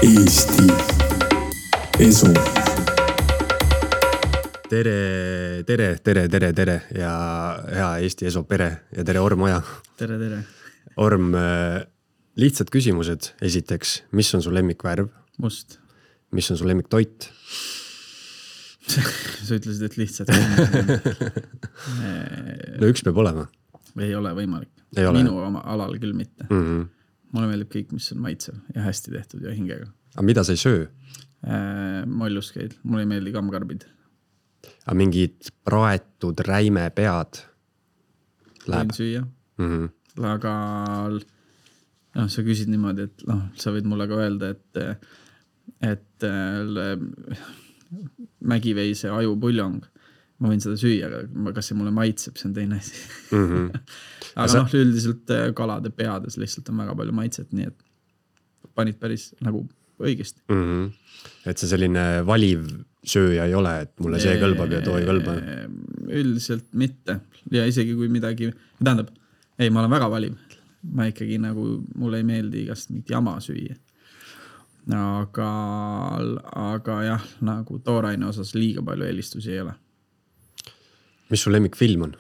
Eesti Esu. Tere ja hea Eesti Esu pere ja tere Orm Oja. Tere. Orm, lihtsad küsimused. Esiteks, mis on su lemmikvärv? Must. Mis on su lemmiktoit? Sa ütlesid, et lihtsad No üks peab olema. Ei ole võimalik. Ei ole. Minu oma alal küll mitte. Mulle meeldib kõik, mis on maitsev ja hästi tehtud ja hingega. Aga mida sa ei söö? Molluskeid. Mulle ei meeldi kammkarbid. Aga mingid praetud räime pead läheb? Võin süüa. Aga sa küsid niimoodi, et sa võid mulle ka öelda, et mägiveise ajupuljong, ma võin seda süüa, aga kas see mulle maitseb, see on teine asi. Aga üldiselt kalade peades lihtsalt on väga palju maitset, nii et panid päris nagu õigesti. Et see selline valiv sööja ei ole, et mulle see kõlbab ja too ei kõlba? Üldiselt mitte. Ja isegi kui midagi, tähendab, ei, ma olen väga valiv. Ma ikkagi nagu, mulle ei meeldi igast mingit jama süüa. Aga jah, nagu tooraine osas liiga palju eelistusi ei ole. Mis su lemmikfilm on?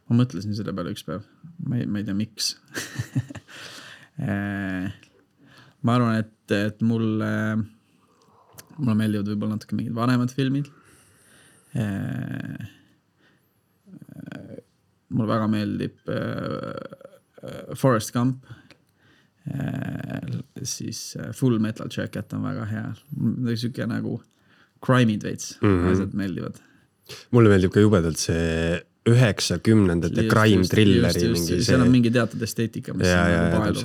Ma mõtlesin selle peale üks päev. Ma ei tea, miks. Ma arvan, et mulle meeldivad võib-olla natuke mingid vanemad filmid. Mulle väga meeldib Forrest Gump. Siis Full Metal Jacket on väga hea. Siuke nagu crime'id veits. Asjad meeldivad. Mulle meeldib ka jubedalt see 90-ndate crime thrilleri. Seal on mingi teatud esteetika, mis on nagu paelu.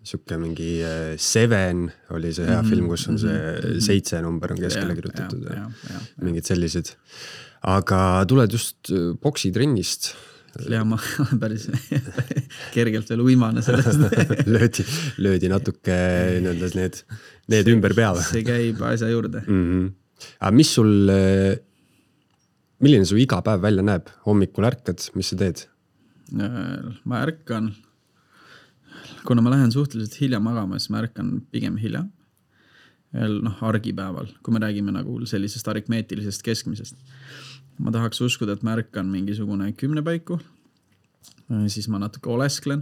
Siuke mingi Seven oli see hea film, kus on see 7 number on keskele kirjutatud. Mingid sellised. Aga tuled just boksitrennist. Ja ma päris kergelt veel uimane sellest. löödi natuke need ümber pea. See käib asja juurde. Aga milline su iga päev välja näeb? Hommikul ärkad, mis sa teed? Ma ärkan, kuna ma lähen suhteliselt hilja magama, siis ma ärkan pigem hilja. Argipäeval, kui me räägime nagu sellisest aritmeetilisest keskmisest. Ma tahaks uskuda, et ma ärkan mingisugune 10 paiku. Siis ma natuke olesklen.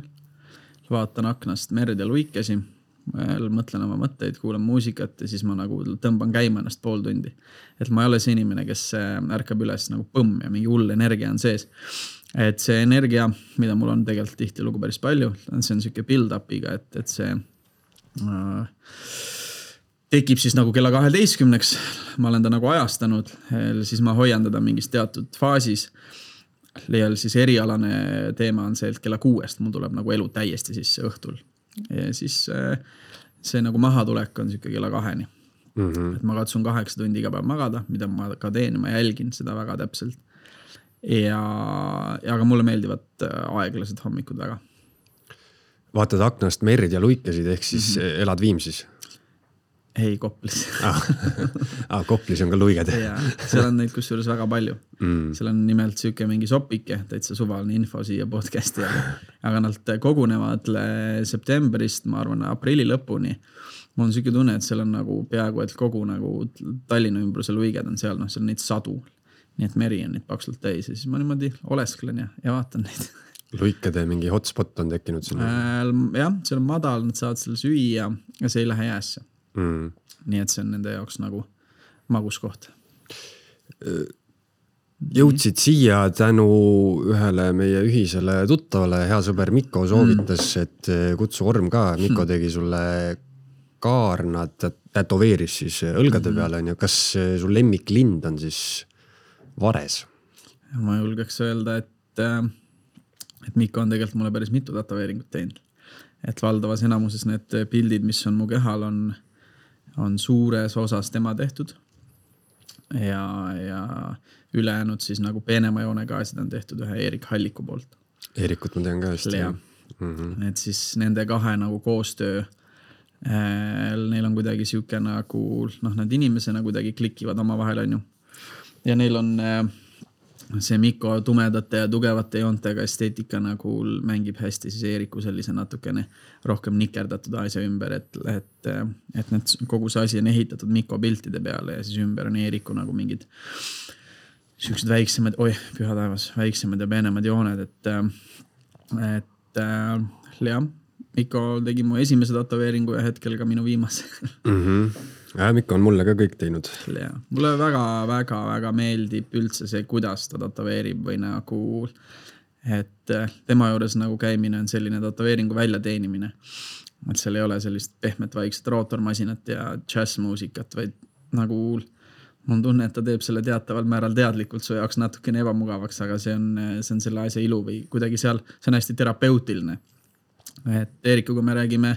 Vaatan aknast merd ja luikesi. Mõtlen oma mõtteid, kuulan muusikat ja siis ma nagu tõmban käima ennast pool tundi. Et ma ei ole see inimene, kes ärkab üles nagu põmm ja mingi hull energia on sees. Et see energia, mida mul on tegelikult tihti lugu päris palju, see on siuke build-upiga, et see tekib siis nagu kella 12-ks. Ma olen ta nagu ajastanud, siis ma hoian teda mingis teatud faasis. Ja siis erialane teema on see, et kella 6 mul tuleb nagu elu täiesti sisse õhtul. Ja siis see nagu mahatulek on siuke kella 2-ni. Et ma katsun 8 tundi iga päev magada, mida ma ka teen, ma jälgin seda väga täpselt. Ja aga mulle meeldivad aeglased hommikud väga. Vaatad aknast merd ja luikesid, ehk siis elad Viimsis? Ei, Koplis. Koplis on ka luiged. Seal on neid kusjuures väga palju. Seal on nimelt siuke mingi sopike, täitsa suvaline info siia podcasti. Aga nad kogunevad septembrist, ma arvan, aprilli lõpuni. Mul on siuke tunne, et seal on nagu peaaegu, et kogu nagu Tallinna ümbruse luiged on seal, seal on neid sadu. Nii et meri on neid paksult täis ja siis ma niimoodi olesklen ja vaatan neid. Luikade mingi hotspot on tekkinud sinna? Jah, seal on madal, nad saavad selle süüa ja see ei lähe jäässe. Nii et see on nende jaoks nagu maguskoht. Jõudsid siia tänu ühele meie ühisele tuttavale, hea sõber Mikko soovitas, et kutsu Orm ka. Mikko tegi sulle kaarna, tätoveeris siis õlgade peale. Kas sul lemmiklind on siis vares? Ma julgeks öelda, et Mikko on tegelikult mulle päris mitu tätoveeringut teinud. Et valdavas enamuses need pildid, mis on mu kehal, on suures osas tema tehtud ja ülejäänud siis nagu peenema joonega asjad on tehtud ühe Erik Halliku poolt. Erikut ma tean ka hästi. Et siis nende kahe nagu koostöö, neil on kuidagi siuke nagu, need inimesena kuidagi klikivad oma vahel, on ju. Ja neil on see Mikko tumedate ja tugevate joontega esteetika nagu mängib hästi siis Eeriku sellise natukene rohkem nikerdatud asja ümber, et need, kogu see asi on ehitatud Mikko piltide peale ja siis ümber on Eeriku nagu mingid siuksed väiksemad, püha taevas, väiksemad ja peenemad jooned, et jah, Mikko tegi mu esimese tatoveeringu ja hetkel ka minu viimase. Mikko on mulle ka kõik teinud. Ja. Mulle väga meeldib üldse see, kuidas ta tatoveerib või nagu, et tema juures nagu käimine on selline tatoveeringu väljateenimine. Et seal ei ole sellist pehmet vaikset rootormasinat ja jazzmuusikat, vaid nagu mul tunne, et ta teeb selle teataval määral teadlikult su jaoks natukene ebamugavaks, aga see on selle asja ilu või kuidagi seal, see on hästi terapeutiline. Et Eerikuga me räägime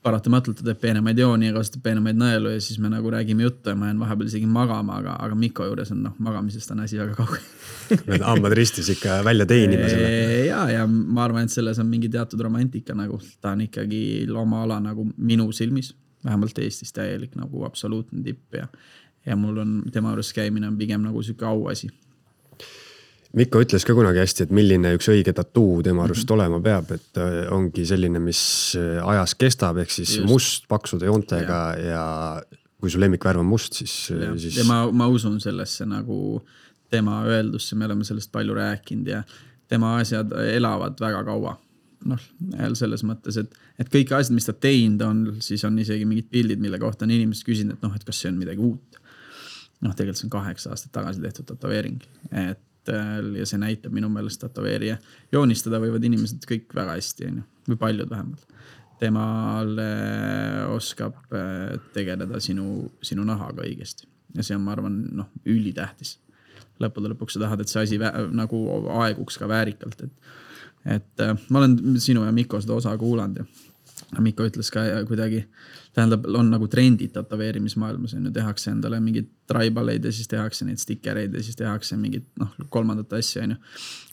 paratamatult, ta teeb peenemaid jooni ja kasutab peenemaid nõelu ja siis me nagu räägime juttu ja ma jään vahepeal isegi magama, aga Mikko juures on magamisest on asi väga kaugel. Need hambad ristis ikka välja teenima selle. Ja ma arvan, et selles on mingi teatud romantika nagu, ta on ikkagi oma ala nagu minu silmis, vähemalt Eestis täielik nagu absoluutne tipp ja mul on tema juures käimine on pigem nagu süke auasi. Mikko ütles ka kunagi hästi, et milline üks õige tattoo tema arust olema peab, et ongi selline, mis ajas kestab, ehk siis just. Must paksude joontega ja kui su lemmikvärv on must, siis... Ja ma usun sellesse nagu tema öeldusse, me oleme sellest palju rääkinud ja tema asjad elavad väga kaua. Selles mõttes, et kõik asjad, mis ta teinud on, siis on isegi mingid pildid, mille kohta on inimesed küsinud, et kas see on midagi uut. Tegelikult see on 8 aastat tagasi tehtud tatoveering, ja see näitab minu meelest tatoveerija. Joonistada võivad inimesed kõik väga hästi, või paljud vähemalt. Temal oskab tegeleda sinu nahaga õigesti. Ja see on, ma arvan, ülitähtis. Lõpuks sa tahad, et see asi nagu aeguks ka väärikalt. Et ma olen sinu ja Mikko seda osa kuulanud ja Mikko ütles ka kuidagi, tähendab, on nagu trendid tatoveerimismaailmas, tehakse endale mingid tribaleid ja siis tehakse neid stikereid ja siis tehakse mingid kolmandat asja.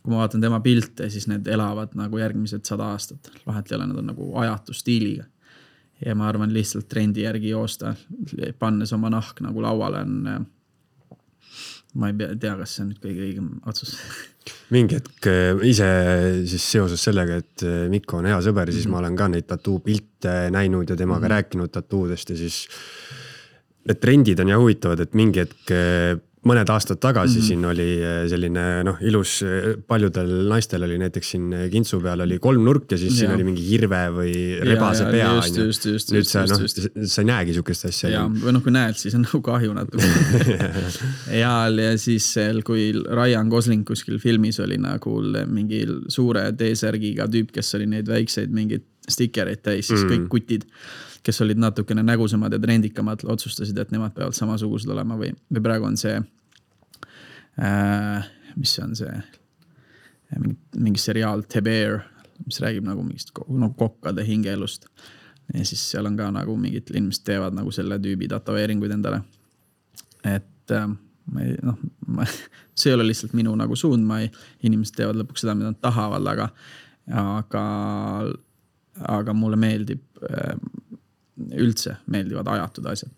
Kui ma vaatan tema pilte, siis need elavad nagu järgmised 100 aastat. Vahet ei ole, nad on nagu ajatu stiiliga. Ja ma arvan lihtsalt trendi järgi joosta, pannes oma nahk nagu lauale on, ma ei tea, kas see on nüüd kõige õigem otsus. Mingi hetk ise siis seoses sellega, et Mikko on hea sõber, siis ma olen ka neid tattoo pilte näinud ja temaga rääkinud tattoodest ja siis need trendid on ja huvitavad, et mingi hetk mõned aastad tagasi siin oli selline ilus, paljudel naistel oli näiteks siin kintsu peal oli 3 nurk ja siis siin oli mingi hirve või rebase pea. Nüüd sa ei näegi sükest asja. Ja, või kui näed, siis on nagu kahju natuke. ja siis kui Ryan Gosling kuskil filmis oli nagu mingi suure T-särgiga tüüp, kes oli neid väikseid mingid stikereid täis, siis kõik kutid, kes olid natukene nägusemad ja trendikamad, otsustasid, et nemad peavad samasugused olema või praegu on see, mis on see, mingi seriaal The Bear, mis räägib nagu mingist kokkade hingeelust. Ja siis seal on ka nagu mingid inimesed teevad nagu selle tüübi tatoveeringuid endale. Et see ei ole lihtsalt minu nagu suund, inimesed teevad lõpuks seda, mida nad tahavad, aga mulle meeldib üldse meeldivad ajatud asjad.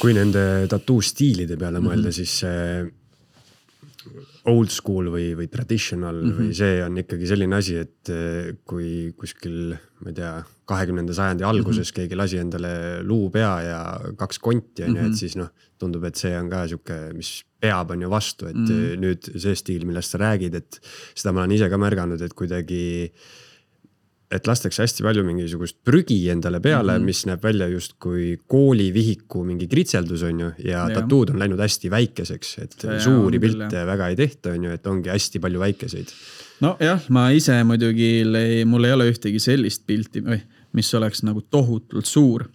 Kui nende tattoo stiilide peale mõelda, siis old school või traditional või see on ikkagi selline asi, et kui kuskil, ma ei tea, 20. sajandi alguses keegi lasi endale luupea ja 2 konti, et siis tundub, et see on ka siuke, mis peab on ju vastu, et nüüd see stiil, millest sa räägid, et seda ma olen ise ka märganud, et kuidagi et lastakse hästi palju mingisugust prügi endale peale, mis näeb välja just kui koolivihiku mingi kritseldus on ju ja tattood on läinud hästi väikeseks, et suuri pilte väga ei tehta on ju, et ongi hästi palju väikeseid. No jah, ma ise muidugi, mul ei ole ühtegi sellist pilti, mis oleks nagu tohutult suur.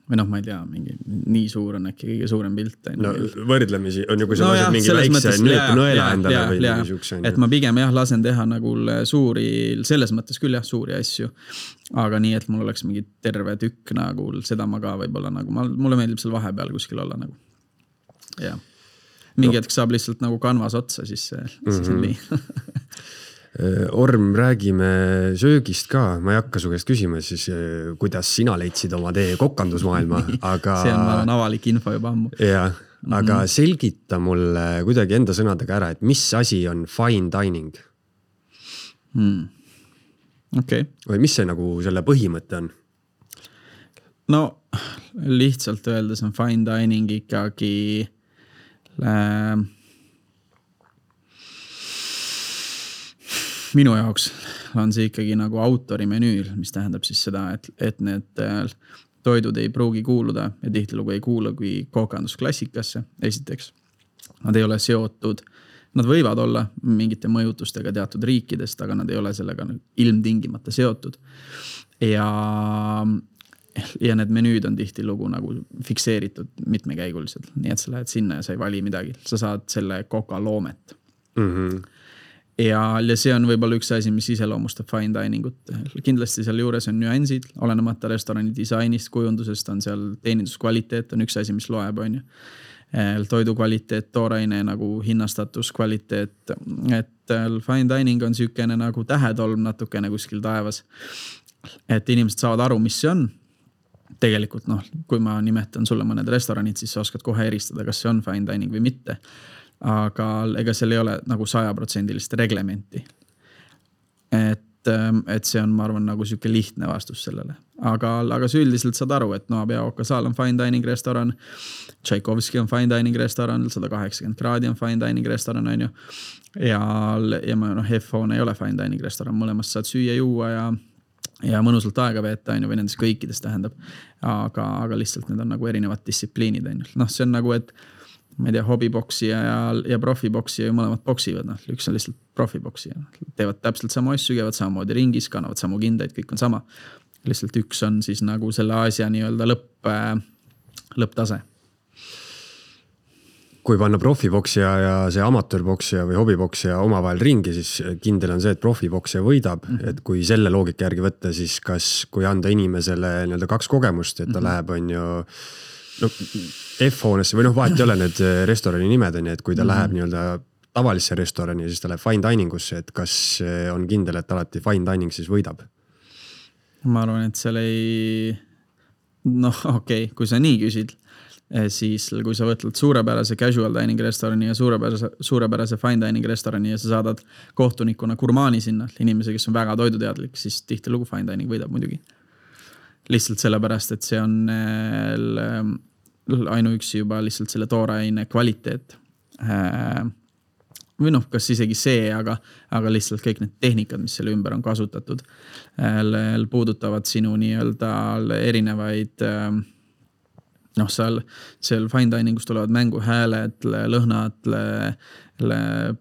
Või ma ei tea, mingi nii suur on äkki kõige suurem pilt. No võrdlemisi on ju, kui sa lased mingi väikse nõela endale või mingi siukse. Et ma pigem lasen teha nagu suuri, selles mõttes küll suuri asju. Aga nii, et mul oleks mingi terve tükk nagu, seda ma ka võib-olla nagu, mulle meeldib seal vahepeal kuskil olla nagu. Ja. Mingi hetk saab lihtsalt nagu kanvas otsa, siis on nii. Orm, räägime söögist ka. Ma ei hakka su käest küsima, siis kuidas sina leidsid oma tee kokandusmaailma, aga... See on avalik info juba ammu. Ja, aga selgita mulle kuidagi enda sõnadega ära, et mis asi on fine dining? Okay. Või mis see nagu selle põhimõte on? No lihtsalt öeldes on fine dining ikkagi minu jaoks on see ikkagi nagu autori menüül, mis tähendab siis seda, et need toidud ei pruugi kuuluda ja tihtilugu ei kuulu kui kookandusklassikasse. Esiteks, nad ei ole seotud, nad võivad olla mingite mõjutustega teatud riikidest, aga nad ei ole sellega ilmtingimata seotud. Ja need menüüd on tihtilugu nagu fikseeritud mitmekäiguliselt, nii et sa lähed sinna ja sa ei vali midagi. Sa saad selle koka loomet. Ja see on võib-olla üks asi, mis iseloomustab fine diningut. Kindlasti seal juures on nüansid, olenemata restorani disainist, kujundusest on seal teeninduskvaliteet on üks asi, mis loeb, on ju. Toidu kvaliteet, tooraine nagu hinnastatus, kvaliteet, et fine dining on sükene nagu tähetolm natukene kuskil taevas. Et inimesed saavad aru, mis see on. Tegelikult, kui ma nimetan sulle mõned restoranid, siis sa oskad kohe eristada, kas see on fine dining või mitte. Aga ega seal ei ole nagu 100% reglementi. Et see on, ma arvan, nagu siuke lihtne vastus sellele. Aga sa üldiselt saad aru, et Noabia Okasaal on fine dining restoran, Tšaikovski on fine dining restoran, 180 kraadi on fine dining restoran, on ju. Ja F-hoone ei ole fine dining restoran, mõlemast saad süüa juua ja mõnusalt aega veeta, on ju, või nendest kõikides tähendab. Aga lihtsalt need on nagu erinevad distsipliinid, on ju. See on nagu, et ma ei tea, hobiboksija ja profiboksija mõlemad boksivad, üks on lihtsalt profiboksija. Teevad täpselt samu asju, käivad samamoodi ringis, kannavad samu kindaid, kõik on sama. Lihtsalt üks on siis nagu selle asja nii-öelda lõpptase. Kui panna profiboksija ja see amatöörboksija või hobiboksija omavahel ringi, siis kindel on see, et profiboksija võidab. Et kui selle loogika järgi võtta, siis kui anda inimesele nii-öelda 2 kogemust, et ta läheb, on ju, F-hoonesse või vahet ei ole need restorani nimed on, et kui ta läheb nii-öelda tavalisse restorani, siis ta läheb fine diningusse, et kas on kindel, et alati fine dining siis võidab? Ma arvan, et seal ei... okei, kui sa nii küsid, siis kui sa võtled suurepärase casual dining restorani ja suurepärase fine dining restorani ja sa saadad kohtunikuna gurmaani sinna, inimese, kes on väga toiduteadlik, siis tihtilugu fine dining võidab muidugi. Lihtsalt sellepärast, et see on ainuüksi juba lihtsalt selle tooraine kvaliteet. Või kas isegi see, aga lihtsalt kõik need tehnikad, mis selle ümber on kasutatud, puudutavad sinu nii-öelda erinevaid, seal fine diningus tulevad mängu hääled, lõhnad,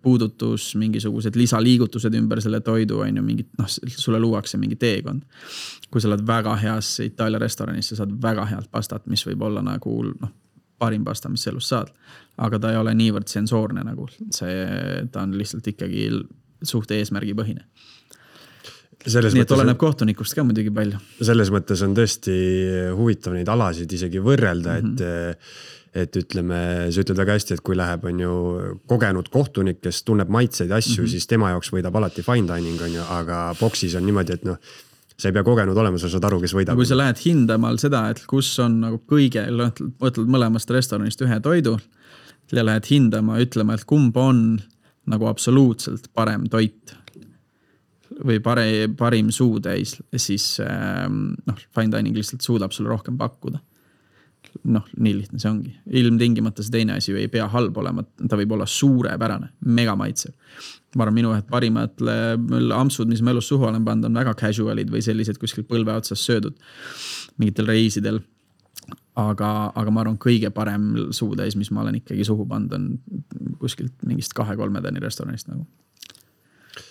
puudutus, mingisugused lisaliigutused ümber selle toidu, on ju mingid, sulle luuakse mingi teekond. Kui sa oled väga heas Itaalia restoranis, sa saad väga head pastat, mis võib olla nagu parim pasta, mis elus saad. Aga ta ei ole niivõrd sensoorne nagu. Ta on lihtsalt ikkagi suht eesmärgi põhine. Nii et oleneb kohtunikust ka muidugi palju. Selles mõttes on tõesti huvitav neid alasid isegi võrrelda, et ütleme, sa ütled väga hästi, et kui läheb on ju kogenud kohtunik, kes tunneb maitseid asju, siis tema jaoks võidab alati fine dining, on ju, aga boksis on niimoodi, et sa ei pea kogenud olema, sa saad aru, kes võidab. Kui sa lähed hindama seda, et kus on nagu kõige, võtled mõlemast restoranist ühe toidu ja lähed hindama, ütlema, et kumb on nagu absoluutselt parem toit või parim suutäis, siis fine dining lihtsalt suudab sulle rohkem pakkuda. Nii lihtne see ongi. Ilmtingimata see teine asi ei pea halb olema, ta võib olla suurepärane, mega maitsev. Ma arvan, minu parimad ampsud, mis ma elus suhu olen pannud, on väga casualid või sellised kuskil põlve otsas söödud mingitel reisidel. Aga ma arvan, kõige parem suutäis, mis ma olen ikkagi suhu pannud, on kuskilt mingist 2-3 tani restoranist nagu.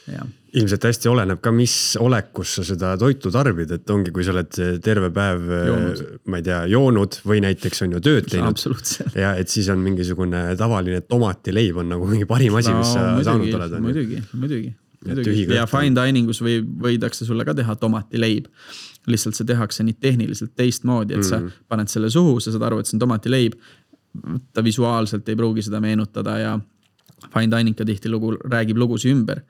Ja. Ilmselt hästi oleneb ka, mis olekus sa seda toitu tarbid, et ongi, kui sa oled terve päev, ma ei tea, joonud või näiteks on ju tööd teinud. Ja et siis on mingisugune tavaline tomatileib on nagu mingi parim asi, mis sa saanud oled. Muidugi. Ja fine diningus võidakse sulle ka teha tomatileib. Lihtsalt see tehakse nii tehniliselt teistmoodi, et sa paned selle suhu, sa saad aru, et see on tomatileib. Ta visuaalselt ei pruugi seda meenutada ja fine dining ka tihti räägib lugusi ümber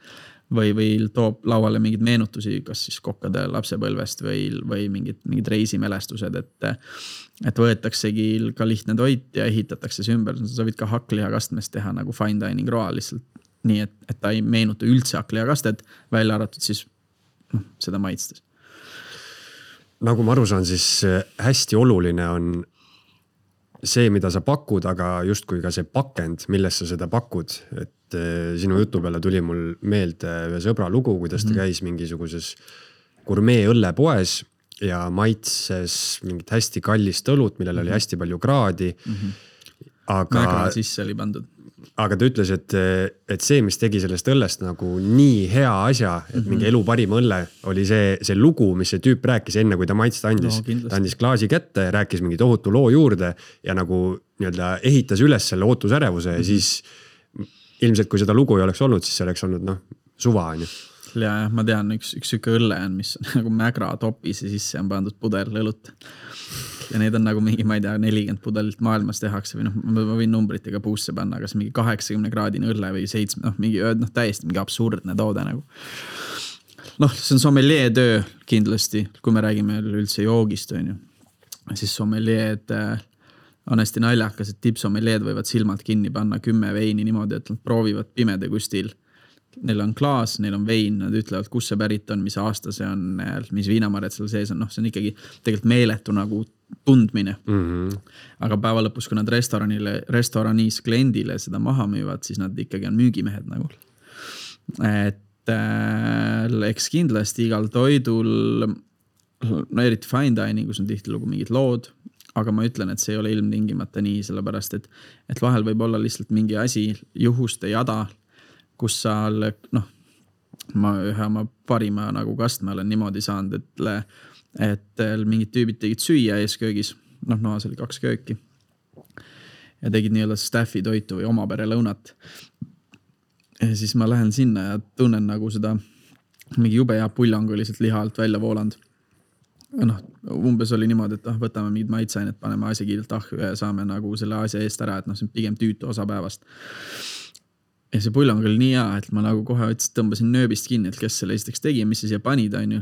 või toob lauale mingeid meenutusi, kas siis kokkade lapsepõlvest või mingid reisimälestused, et võetaksegi ka lihtne toit ja ehitatakse see ümber. Sa võid ka hakklihakastmest teha nagu fine dining roa lihtsalt nii, et ta ei meenuta üldse hakklihakastet, välja arvatud siis seda maitstes. Nagu ma aru saan, siis hästi oluline on see, mida sa pakud, aga justkui ka see pakend, milles sa seda pakud. Et sinu jutu peale tuli mul meelde ühe sõbra lugu, kuidas ta käis mingisuguses gurmee õllepoes ja maitses mingit hästi kallist õlut, millel oli hästi palju kraadi. Mägra sisse oli pandud. Aga ta ütles, et see, mis tegi sellest õllest nagu nii hea asja, et mingi elu parim õlle, oli see lugu, mis see tüüp rääkis enne, kui ta maitsta andis. Ta andis klaasi kätte, rääkis mingi tohutu loo juurde ja nagu ehitas üles selle ootusärevuse ja siis ilmselt, kui seda lugu ei oleks olnud, siis see oleks olnud suva. Ja ma tean, üks süke õlle on, mis on nagu mägra topis ja sisse on pandud pudel õlut. Ja need on nagu mingi, ma ei tea, 40 pudelit maailmas tehakse või ma võin numbritega puusse panna, kas mingi 80 kraadine õlle või 7, täiesti mingi absurdne toode nagu. See on sommelier töö kindlasti, kui me räägime üldse joogist, on ju. Siis sommelieed on hästi naljakas, et tippsommelieed võivad silmad kinni panna 10 veini niimoodi, et nad proovivad pimede kustil. Neil on klaas, neil on vein, nad ütlevad, kus see pärit on, mis aasta see on, mis viinamarjad seal sees on. See on ikkagi tegelikult meeletu nagu tundmine. Aga päeva lõpus, kui nad restoraniis kliendile seda maha müüvad, siis nad ikkagi on müügimehed nagu. Et eks kindlasti igal toidul, eriti fine diningus on tihti lugu mingid lood, aga ma ütlen, et see ei ole ilmtingimata nii, sellepärast, et vahel võib olla lihtsalt mingi asi juhuste jada, kus sa, ma ühe oma parima nagu kastme olen niimoodi saanud, et mingid tüübid tegid süüa ees köögis, noas oli 2 kööki ja tegid nii-öelda staffi toitu või oma pere lõunat. Ja siis ma lähen sinna ja tunnen nagu seda mingi jube hea puljang oli sealt liha alt välja voolanud. Umbes oli niimoodi, et võtame mingid maitsainet, paneme asja kiirelt ahju ja saame nagu selle asja eest ära, et see on pigem tüütu osa päevast. Ja see puljang oli nii hea, et ma nagu kohe tõmbasin nööbist kinni, et kes selle esiteks tegi ja mis see siia panid, on ju.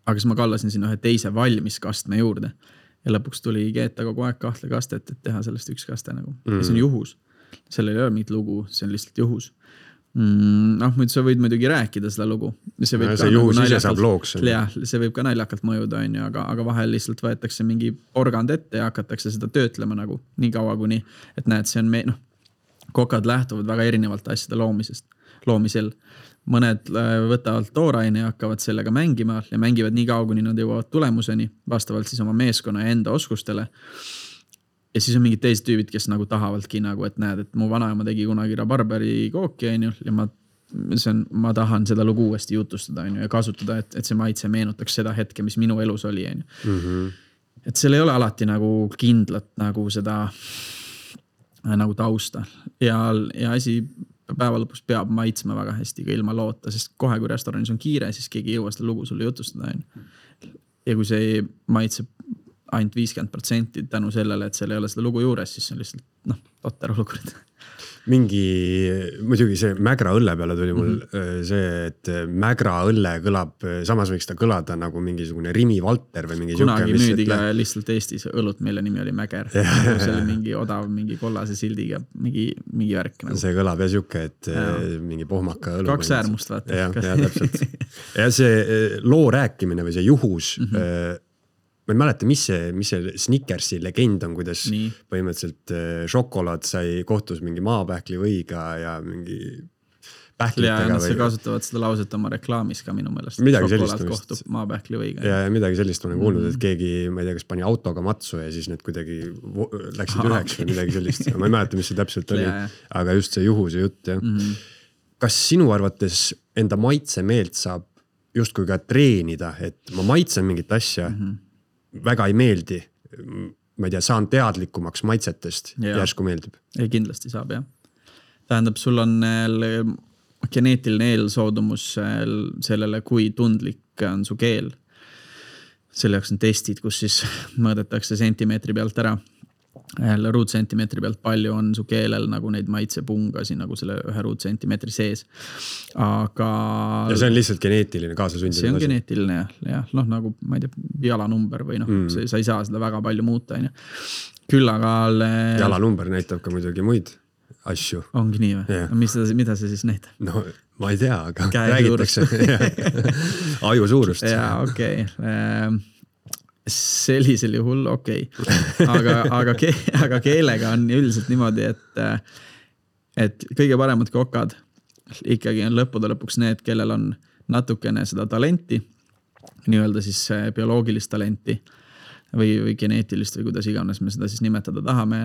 Aga siis ma kallasin sinna ühe teise valmis kastme juurde. Ja lõpuks tuli keeta kogu aeg 2 kastet, et teha sellest 1 kaste nagu. Ja see on juhus. Sellel ei ole mingit lugu, see on lihtsalt juhus. Muidu sa võid muidugi rääkida seda lugu. See juhus ise saab looks. Jah, see võib ka naljakalt mõjuda, on ju, aga vahel lihtsalt võetakse mingi porgand ette ja hakatakse seda töötlema nagu nii kaua kuni, et näed, see on kokad lähtuvad väga erinevalt asjade loomisel. Mõned võtavad tooraine ja hakkavad sellega mängima ja mängivad nii kaua, kuni nad jõuavad tulemuseni, vastavalt siis oma meeskonna ja enda oskustele. Ja siis on mingid teised tüübid, kes nagu tahavadki nagu, et näed, et mu vanaema tegi kunagi rabarberi kooki, on ju, ja ma tahan seda lugu uuesti jutustada, on ju, ja kasutada, et see maitse meenutaks seda hetke, mis minu elus oli, on ju. Et seal ei ole alati nagu kindlat nagu seda nagu tausta ja asi päeva lõpus peab maitsma väga hästi ka ilma loota, sest kohe kui restoranis on kiire, siis keegi ei jõua seda lugu sulle jutustada. Ja kui see maitseb ainult 50% tänu sellele, et seal ei ole seda lugu juures, siis on lihtsalt totter olukord. Muidugi see mägra õlle peale tuli mul see, et mägra õlle kõlab, samas võiks ta kõlada nagu mingisugune Rimi Valter või mingi kunagi müüdi ka lihtsalt Eestis õlut, mille nimi oli Mäger. See oli mingi odav, mingi kollase sildiga, mingi värk. Nagu. See kõlab ja siuke, et mingi pohmaka õlu. 2 äärmust vaata. Ja täpselt. Ja see loo rääkimine või see juhus, ma ei mäleta, mis see Snickersi legend on, kuidas põhimõtteliselt šokolaad sai kohtus mingi maapähkli võiga ja mingi pähklitega. Ja nad kasutavad seda lauset oma reklaamis ka minu meelest. Šokolaad kohtub maapähkli võiga. Ja midagi sellist olen kuulnud, et keegi, ma ei tea, kas pani autoga matsu ja siis need kuidagi läksid üheks või midagi sellist. Ma ei mäleta, mis see täpselt oli, aga just see juhuse jutt. Kas sinu arvates enda maitsemeelt saab justkui ka treenida, et ma maitsen mingit asja, väga ei meeldi, ma ei tea, saan teadlikumaks maitsetest, järsku meeldib. Ei, kindlasti saab, jah. Tähendab, sul on geneetiline eelsoodumus sellele, kui tundlik on su keel. Selle jaoks on testid, kus siis mõõdetakse sentimeetri pealt ära. ruutsentimeetri pealt palju on su keelel nagu neid maitsepungasi nagu selle 1 ruutsentimeetri sees. Aga... Ja see on lihtsalt geneetiline kaasasündinud. See on geneetiline jah, noh nagu ma ei tea, jalanumber või noh, sa ei saa seda väga palju muuta. Küll aga... Jalanumber näitab ka muidugi muid asju. Ongi nii või? Yeah. Mida see siis näitab? No ma ei tea, aga räägitakse. Aju suurust. Jaa, okei. Sellisel juhul okei. Aga keelega on üldiselt niimoodi, et kõige paremad kokad ikkagi on lõppude lõpuks need, kellel on natukene seda talenti, nii-öelda siis bioloogilist talenti või geneetilist või kuidas iganes me seda siis nimetada tahame,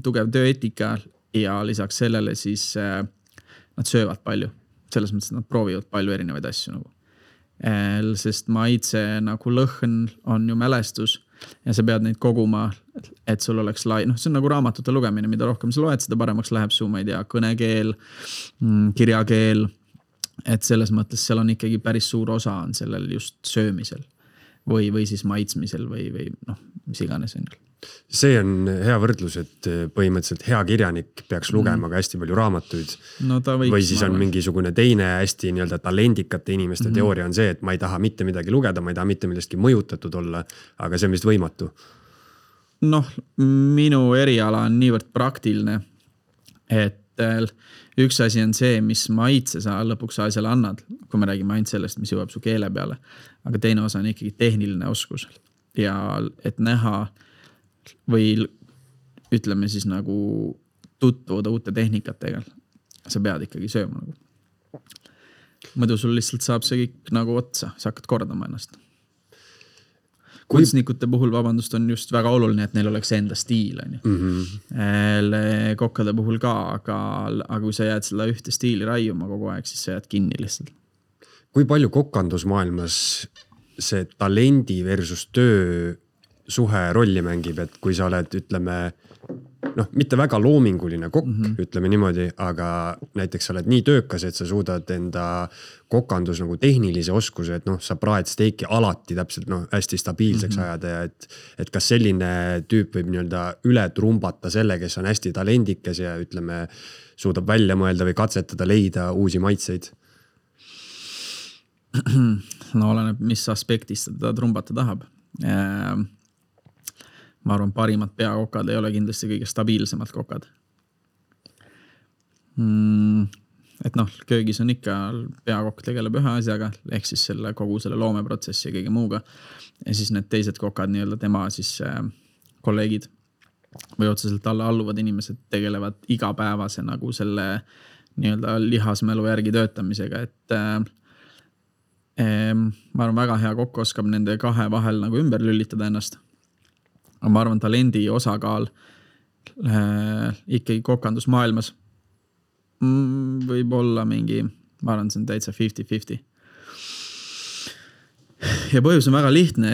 tugev tööeetika ja lisaks sellele siis nad söövad palju. Selles mõttes, et nad proovivad palju erinevaid asju nagu. Sest maitse nagu lõhn on ju mälestus ja sa pead neid koguma, et sul oleks see on nagu raamatute lugemine, mida rohkem sa loed, seda paremaks läheb su, ma ei tea, kõnekeel, kirjakeel, et selles mõttes seal on ikkagi päris suur osa on sellel just söömisel või siis maitsmisel või mis iganes on. See on hea võrdlus, et põhimõtteliselt hea kirjanik peaks lugema ka hästi palju raamatuid. No või siis on mingisugune teine hästi nii-öelda talendikate inimeste teooria on see, et ma ei taha mitte midagi lugeda, ma ei taha mitte millestki mõjutatud olla, aga see on vist võimatu. Noh, minu eriala on niivõrd praktiline, et üks asi on see, mis maitse sa lõpuks asjale annad, kui me räägime ainult sellest, mis jõuab su keele peale, aga teine osa on ikkagi tehniline oskus ja et näha või ütleme siis nagu tutvuda uute tehnikatega. Sa pead ikkagi sööma nagu. Mõdu sul lihtsalt saab see kõik nagu otsa, sa hakkad kordama ennast. Kunstnikute puhul, vabandust, on just väga oluline, et neil oleks enda stiil. Kokkade puhul ka, aga kui sa jääd selle ühte stiili raiuma kogu aeg, siis sa jääd kinni lihtsalt. Kui palju kokkandusmaailmas see talendi versus töö suhe rolli mängib, et kui sa oled, ütleme, mitte väga loominguline kokk, ütleme niimoodi, aga näiteks sa oled nii töökas, et sa suudad enda kokandus nagu tehnilise oskuse, et sa praed steiki alati täpselt hästi stabiilseks ajada ja et kas selline tüüp võib nii-öelda üle trumbata selle, kes on hästi talendikes ja ütleme, suudab välja mõelda või katsetada leida uusi maitseid? No oleneb, mis aspektist ta trumbata tahab. Ma arvan, parimad peakokad ei ole kindlasti kõige stabiilsemad kokad. Et köögis on ikka peakokk tegeleb ühe asjaga, ehk siis kogu selle loomeprotsessi ja kõige muuga. Ja siis need teised kokad, nii-öelda tema siis kolleegid või otseselt alla alluvad inimesed tegelevad igapäevase nagu selle nii-öelda lihasmälu järgi töötamisega, et ma arvan, väga hea kokk oskab nende kahe vahel nagu ümber lülitada ennast. Aga ma arvan, talendi osakaal ikkagi kokandusmaailmas võib olla mingi, ma arvan, see on täitsa 50-50. Ja põhjus on väga lihtne,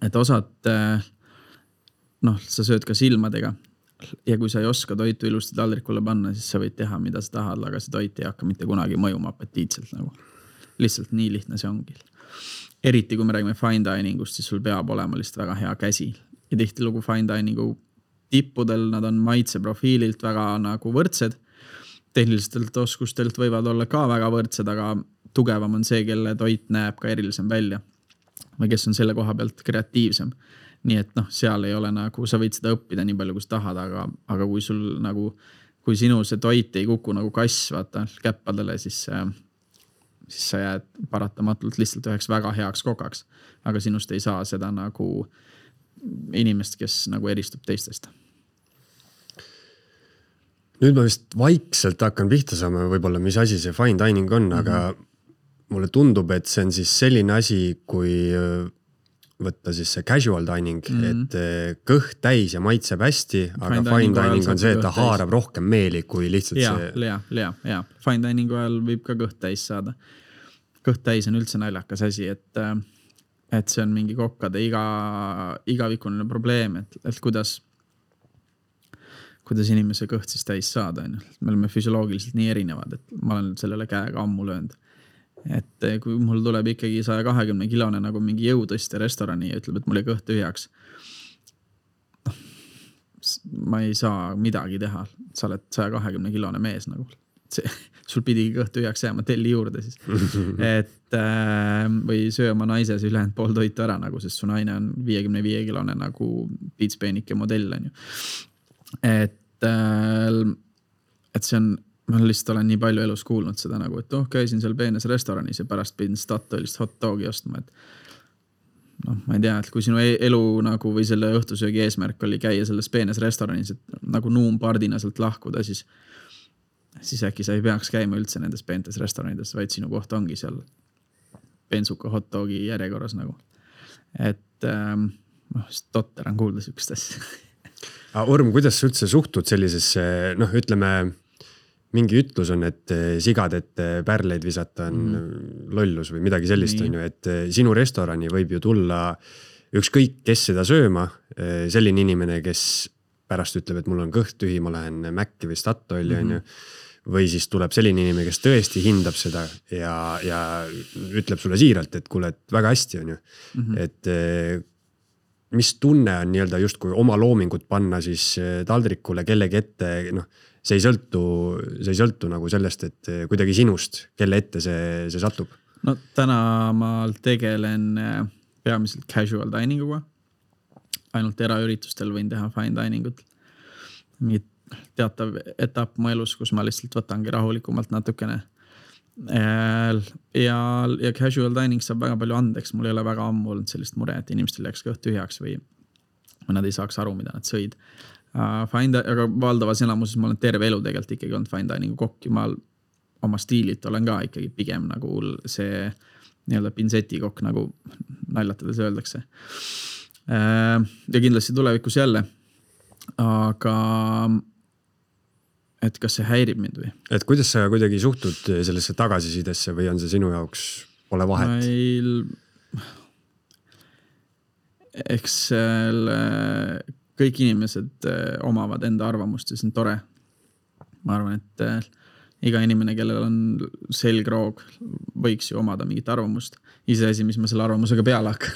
et osad, sa sööd ka silmadega ja kui sa ei oska toitu ilusti taldrikule panna, siis sa võid teha, mida sa tahad, aga see toit ei hakka mitte kunagi mõjuma apetiitselt nagu. Lihtsalt nii lihtne see ongi. Eriti kui me räägime fine diningust, siis sul peab olema lihtsalt väga hea käsi. Ja tihtilugu fine diningu tippudel nad on maitseprofiililt väga nagu võrdsed. Tehnilistelt oskustelt võivad olla ka väga võrdsed, aga tugevam on see, kelle toit näeb ka erilisem välja. Või kes on selle koha pealt kreatiivsem. Nii et seal ei ole nagu, sa võid seda õppida nii palju, kui sa tahad, aga kui sul nagu, kui sinu see toit ei kuku nagu kass, vaata, käppadele, siis sa jääd paratamatult lihtsalt üheks väga heaks kokaks, aga sinust ei saa seda nagu inimest, kes nagu eristub teistest. Nüüd ma vist vaikselt hakkan pihta saama võib-olla, mis asi see fine dining on, aga mulle tundub, et see on siis selline asi, kui võtta siis see casual dining, et kõht täis ja maitseb hästi, aga fine dining on see, et ta haarab rohkem meeli kui lihtsalt see... Ja. Fine diningu ajal võib ka kõht täis saada. Kõht täis on üldse naljakas asi, et see on mingi kokkade igavikuline probleem, et kuidas inimese kõht siis täis saada. Me oleme füsioloogiliselt nii erinevad, et ma olen sellele käega ammu löönud. Et kui mul tuleb ikkagi 120 kilone nagu mingi jõutõste restorani ja ütleb, et mul ei kõht tühjaks, ma ei saa midagi teha, sa oled 120-kilone mees nagu. Sul pidigi kõht tühjaks jääma, telli juurde siis. Et või söö oma naise see ülejäänud pool toitu ära nagu, sest su naine on 55-kilone nagu piitspeenike modell on ju. Et see on, ma lihtsalt olen nii palju elus kuulnud seda nagu, et käisin seal peenes restoranis ja pärast pidin Statoilist hot dogi ostma, et ma ei tea, et kui sinu elu nagu või selle õhtusöögi eesmärk oli käia selles peenes restoranis, et nagu nuumpardina sealt lahkuda, siis äkki sa ei peaks käima üldse nendes peentes restoranides, vaid sinu koht ongi seal bensuka hot dogi järjekorras nagu. Et totter on kuulda sükest asja. Orm, kuidas sa üldse suhtud sellisesse, ütleme, mingi ütlus on, et sigad, et pärleid visata on lollus või midagi sellist on ju, et sinu restorani võib ju tulla ükskõik, kes seda sööma, selline inimene, kes pärast ütleb, et mul on kõht tühi, ma lähen Mäkki või Statoili on ju, või siis tuleb selline inimene, kes tõesti hindab seda ja ütleb sulle siiralt, et kuule, et väga hästi on ju, et mis tunne on nii-öelda justkui oma loomingut panna siis taldrikule kellegi ette, see ei sõltu nagu sellest, et kuidagi sinust, kelle ette see satub. No täna ma tegelen peamiselt casual dininguga. Ainult eraüritustel võin teha fine diningut. Mingid teatav etapp mu elus, kus ma lihtsalt võtangi rahulikumalt natukene. Ja casual dining saab väga palju andeks. Mul ei ole väga ammu olnud sellist mure, et inimestel jääks kõht tühjaks või nad ei saaks aru, mida nad sõid. Aga valdavas enamuses ma olen terve elu tegelikult ikkagi olnud fine diningu kokk ja ma oma stiililt olen ka ikkagi pigem nagu see nii-öelda pinseti kokk, nagu naljatades öeldakse. Ja kindlasti tulevikus jälle, aga et kas see häirib mind või? Et kuidas sa kuidagi suhtud sellesse tagasisidesse või on see sinu jaoks pole vahet? Eks kõik inimesed omavad enda arvamust ja see on tore. Ma arvan, et iga inimene, kellel on selgroog, võiks ju omada mingit arvamust. Iseasi, mis ma selle arvamusega peale hakkan.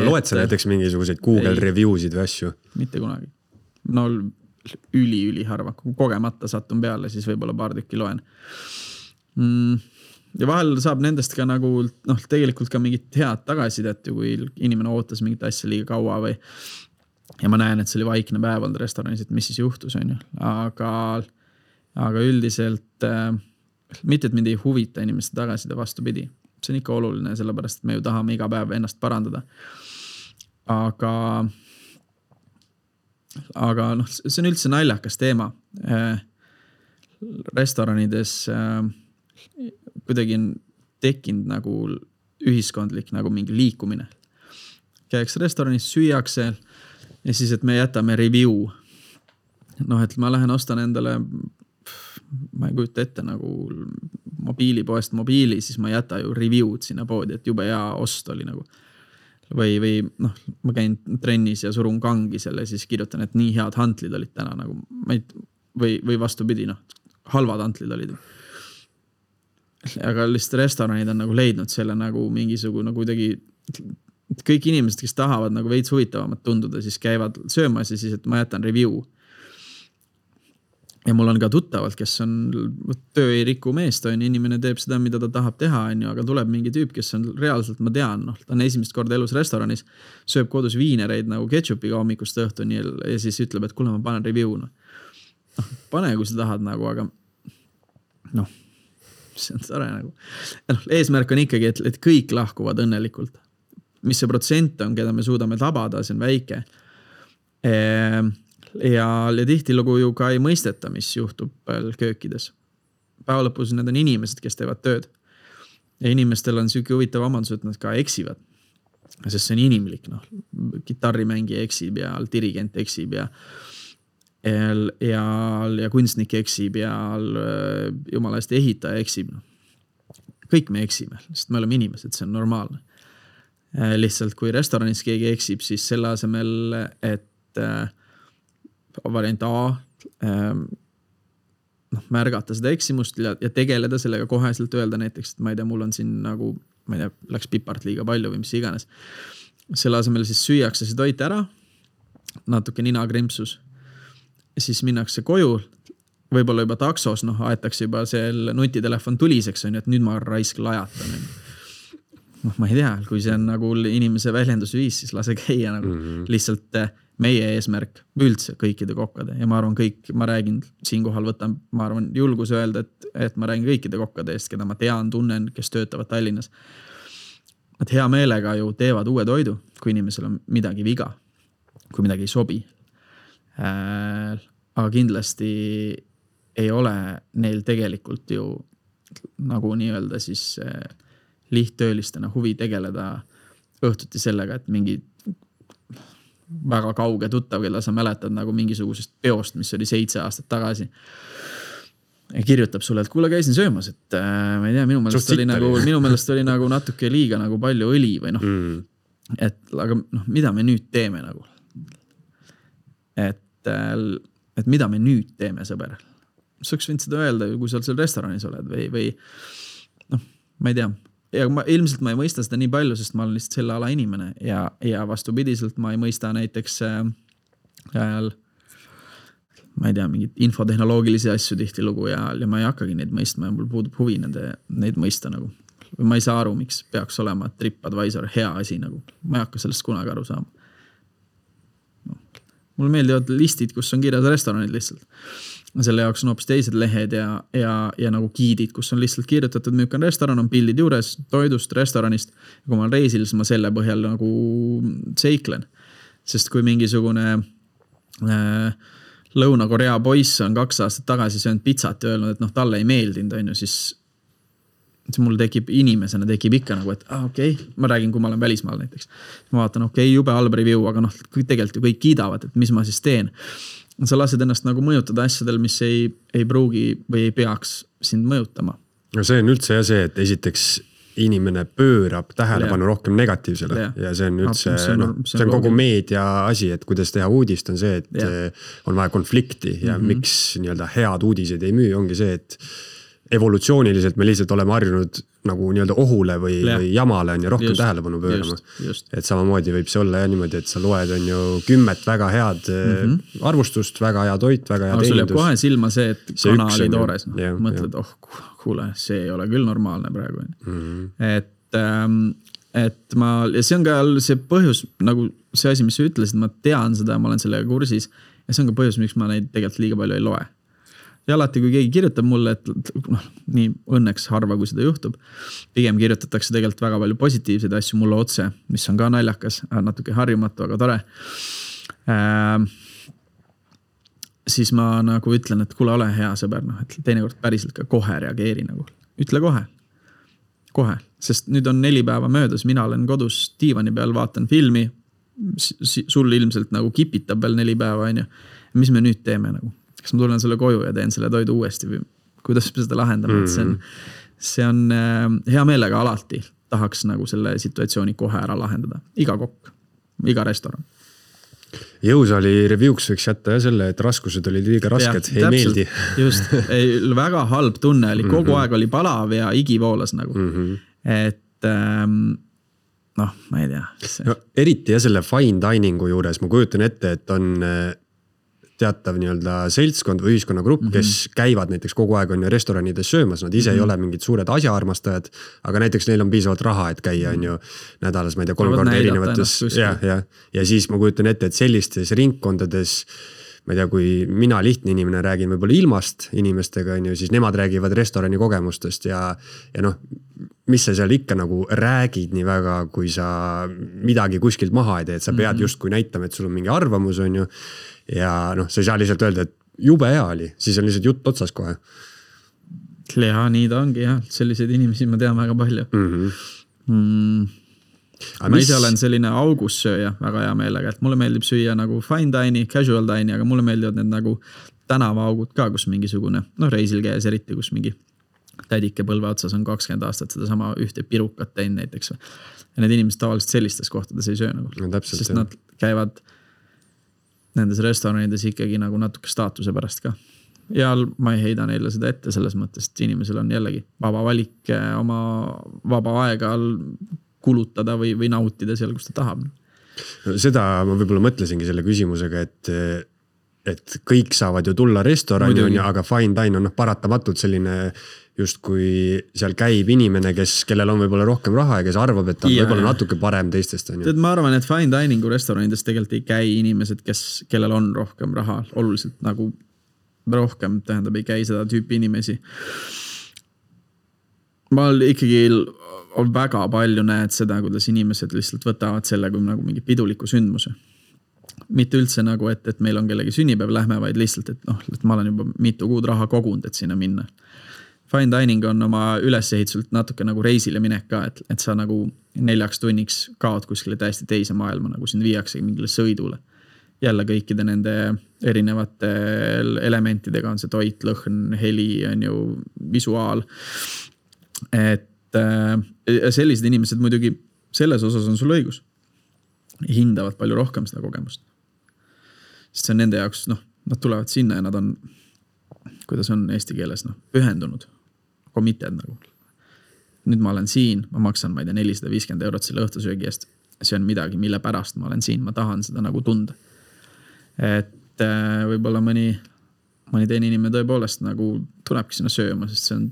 Loed sa näiteks mingisuguseid Google reviewsid või asju? Mitte kunagi. No üli harva. Kui kogemata satun peale, siis võib-olla paar tükki loen. Ja vahel saab nendest ka nagu, tegelikult ka mingit head tagasidet, kui inimene ootas mingit asja liiga kaua või ja ma näen, et see oli vaikne päev olnud restoranis, et mis siis juhtus on ju. Aga üldiselt mitte, et mind ei huvita inimeste tagaside vastupidi. See on ikka oluline, sellepärast, et me ju tahame iga päev ennast parandada. Aga see on üldse naljakas teema. Restoranides kuidagi on tekkinud nagu ühiskondlik nagu mingi liikumine. Käiks restoranis, süüakse ja siis, et me jätame review. Et ma lähen ostan endale, ma ei kujuta ette nagu mobiilipoest mobiili, siis ma jäta ju review'd sinna poodi, et jube hea ost oli nagu. Või ma käin trennis ja surun kangi selle, siis kirjutan, et nii head hantlid olid täna nagu, või vastupidi, halvad hantlid olid. Aga lihtsalt restoranid on nagu leidnud selle nagu mingisugune kuidagi, kõik inimesed, kes tahavad nagu veits huvitavamat tunduda, siis käivad söömas ja siis, et ma jätan review. Ja mul on ka tuttavalt, kes on töö ei riku meest, inimene teeb seda, mida ta tahab teha, aga tuleb mingi tüüp, kes on reaalselt, ma tean, ta on esimest korda elus restoranis, sööb kodus viinereid nagu ketšupiga hommikust õhtuni ja siis ütleb, et kuule, ma panen review. Pane, kui sa tahad nagu, aga see on tore nagu. Eesmärk on ikkagi, et kõik lahkuvad õnnelikult. Mis see protsent on, keda me suudame tabada, see on väike. Ja tihtilugu ju ka ei mõisteta, mis juhtub köökides. Päeva lõpus need on inimesed, kes teevad tööd. Ja inimestel on selline huvitav omandus, et nad ka eksivad. Sest see on inimlik. Kitarrimängija eksib ja dirigent eksib ja kunstnik eksib ja jumala eest ehitaja eksib. Kõik me eksime, sest me oleme inimesed, see on normaalne. Lihtsalt kui restoranis keegi eksib, siis selle asemel, et variant A märgata seda eksimust ja tegeleda sellega koheselt öelda näiteks, et ma ei tea, mul on siin nagu, ma ei tea, läks pipart liiga palju või mis iganes. Selle asemel siis süüakse see toit ära natuke ninakrimpsus. Siis minnakse koju, võib-olla juba taksos, aetakse juba seal nutitelefon tuliseks, on ju, et nüüd ma raisk lajatan. Ma ei tea, kui see on nagu inimese väljendusviis, siis lase käia nagu lihtsalt meie eesmärk üldse kõikide kokkade. Ja ma arvan ma räägin siinkohal võtan, ma arvan julgus öelda, et ma räägin kõikide kokkade eest, keda ma tean, tunnen, kes töötavad Tallinnas. Nad hea meelega ju teevad uue toidu, kui inimesel on midagi viga, kui midagi ei sobi. Aga kindlasti ei ole neil tegelikult ju nagu nii-öelda siis lihttöölistena huvi tegeleda õhtuti sellega, et mingi väga kauge tuttav, keda sa mäletad nagu mingisugusest peost, mis oli 7 aastat tagasi. Ja kirjutab sulle, et kuule käisin söömas, et ma ei tea, minu meelest oli nagu natuke liiga nagu palju õli või aga mida me nüüd teeme nagu? Et mida me nüüd teeme, sõber? Sa oleks võinud seda öelda, kui sa seal restoranis oled või ma ei tea. Ja ilmselt ma ei mõista seda nii palju, sest ma olen lihtsalt selle ala inimene ja vastupidiselt ma ei mõista näiteks ma ei tea, mingid infotehnoloogilisi asju tihti lugu ja ma ei hakkagi neid mõistma ja mul puudub huvi neid mõista nagu. Või ma ei saa aru, miks peaks olema TripAdvisor hea asi nagu. Ma ei hakka sellest kunagi aru saama. Mulle meeldivad listid, kus on kirjas restoranid lihtsalt. Selle jaoks on hoopis teised lehed ja nagu giidid, kus on lihtsalt kirjutatud, müük on restoran, on pildid juures, toidust, restoranist. Ja kui ma olen reisil, siis ma selle põhjal nagu seiklen. Sest kui mingisugune Lõuna-Korea poiss on 2 aastat tagasi söönud pizzat ja öelnud, et talle ei meeldinud, on ju, siis mul inimesena tekib ikka nagu, et okei, ma räägin, kui ma olen välismaal näiteks. Ma vaatan, jube halb review, aga tegelikult ju kõik kiidavad, et mis ma siis teen. Sa lased ennast nagu mõjutada asjadel, mis ei pruugi või ei peaks sind mõjutama. No see on üldse see, et esiteks inimene pöörab tähelepanu rohkem negatiivsele ja see on üldse, see on kogu meedia asi, et kuidas teha uudist on see, et on vaja konflikti ja miks nii-öelda head uudised ei müü, ongi see, et evolutsiooniliselt me lihtsalt oleme harjunud nagu nii-öelda ohule või jamale on ja rohkem tähelepanu pöörama. Et samamoodi võib see olla ja niimoodi, et sa loed on ju 10 väga head arvustust, väga hea toit, väga hea teenindus. Sul jääb kohe silma see, et kana oli toores. Mõtled, kuule, see ei ole küll normaalne praegu. Et ja see on ka see põhjus, nagu see asi, mis sa ütlesid, ma tean seda ja ma olen sellega kursis ja see on ka põhjus, miks ma neid tegelikult liiga palju ei loe. Ja alati, kui keegi kirjutab mulle, et nii õnneks harva, kui seda juhtub, pigem kirjutatakse tegelikult väga palju positiivseid asju mulle otse, mis on ka naljakas, natuke harjumatu, aga tore. Siis ma nagu ütlen, et kuule, ole hea sõber, et teinekord päriselt ka kohe reageeri nagu. Ütle kohe, sest nüüd on 4 päeva möödas, mina olen kodus diivani peal, vaatan filmi, sul ilmselt nagu kipitab veel 4 päeva, on ju. Mis me nüüd teeme nagu? Kas ma tulen selle koju ja teen selle toidu uuesti või kuidas me seda lahendame, et see on hea meelega alati tahaks nagu selle situatsiooni kohe ära lahendada. Iga kokk, iga restoran. Jõusaali reviewks võiks jätta ja selle, et raskused olid liiga rasked, ei meeldi. Just, väga halb tunne oli, kogu aeg oli palav ja igivoolas nagu. Et ma ei tea. Eriti ja selle fine diningu juures ma kujutan ette, et on teatav nii-öelda seltskond või ühiskonnagrupp, kes käivad näiteks kogu aeg on ju restoranides söömas, nad ise ei ole mingid suured asjaarmastajad, aga näiteks neil on piisavalt raha, et käia on ju nädalas, ma ei tea, 3 korda erinevates ja siis ma kujutan ette, et sellistes ringkondades, ma ei tea, kui mina lihtne inimene räägin võib-olla ilmast inimestega, on ju, siis nemad räägivad restorani kogemustest ja mis sa seal ikka nagu räägid nii väga, kui sa midagi kuskilt maha ei tee, et sa pead justkui näitama, et sul on mingi arvamus, on ju, ja sa ei saa lihtsalt öelda, et jube hea oli, siis on lihtsalt jutt otsas kohe. Ja nii ta ongi jah, selliseid inimesi ma tean väga palju. Ma ise olen selline augussööja väga hea meelega, et mulle meeldib süüa nagu fine dining, casual dining, aga mulle meeldivad need nagu tänavaaugud ka, kus mingisugune, reisil käes eriti, kus mingi tädike põlve otsas on 20 aastat seda sama ühte pirukat teinud näiteks. Ja need inimesed tavaliselt sellistes kohtades ei söö nagu. Sest nad käivad nendes restoranides ikkagi nagu natuke staatuse pärast ka. Ja ma ei heida neile seda ette selles mõttes, et inimesel on jällegi vaba valik oma vaba aega kulutada või nautida seal, kus ta tahab. Seda ma võib-olla mõtlesingi selle küsimusega, et kõik saavad ju tulla restorani, aga fine dine on paratamatult selline just kui seal käib inimene, kellel on võib-olla rohkem raha ja kes arvab, et ta on võib-olla natuke parem teistest. Ma arvan, et fine diningu restoranides tegelikult ei käi inimesed, kellel on rohkem raha, oluliselt nagu rohkem, tähendab, ei käi seda tüüpi inimesi. Ma ikkagi väga palju näed seda, kuidas inimesed lihtsalt võtavad selle kui nagu mingi piduliku sündmuse. Mitte üldse nagu, et meil on kellegi sünnipäev, lähme, vaid lihtsalt, et ma olen juba mitu kuud raha kogunud, et sinna minna. Fine dining on oma ülesehitselt natuke nagu reisile minek ka, et sa nagu 4 tunniks kaod kuskile täiesti teise maailma, nagu sind viiakse mingile sõidule. Jälle kõikide nende erinevate elementidega on see toit, lõhn, heli, on ju, visuaal. Et sellised inimesed muidugi selles osas on sul õigus. Hindavad palju rohkem seda kogemust. Sest see on nende jaoks, nad tulevad sinna ja nad on, kuidas on eesti keeles, pühendunud. Committed nagu. Nüüd ma olen siin, ma maksan, ma ei tea, 450 € selle õhtusöögi eest. See on midagi, mille pärast ma olen siin, ma tahan seda nagu tunda. Et võib-olla mõni teine inimene tõepoolest nagu tulebki sinna sööma, sest see on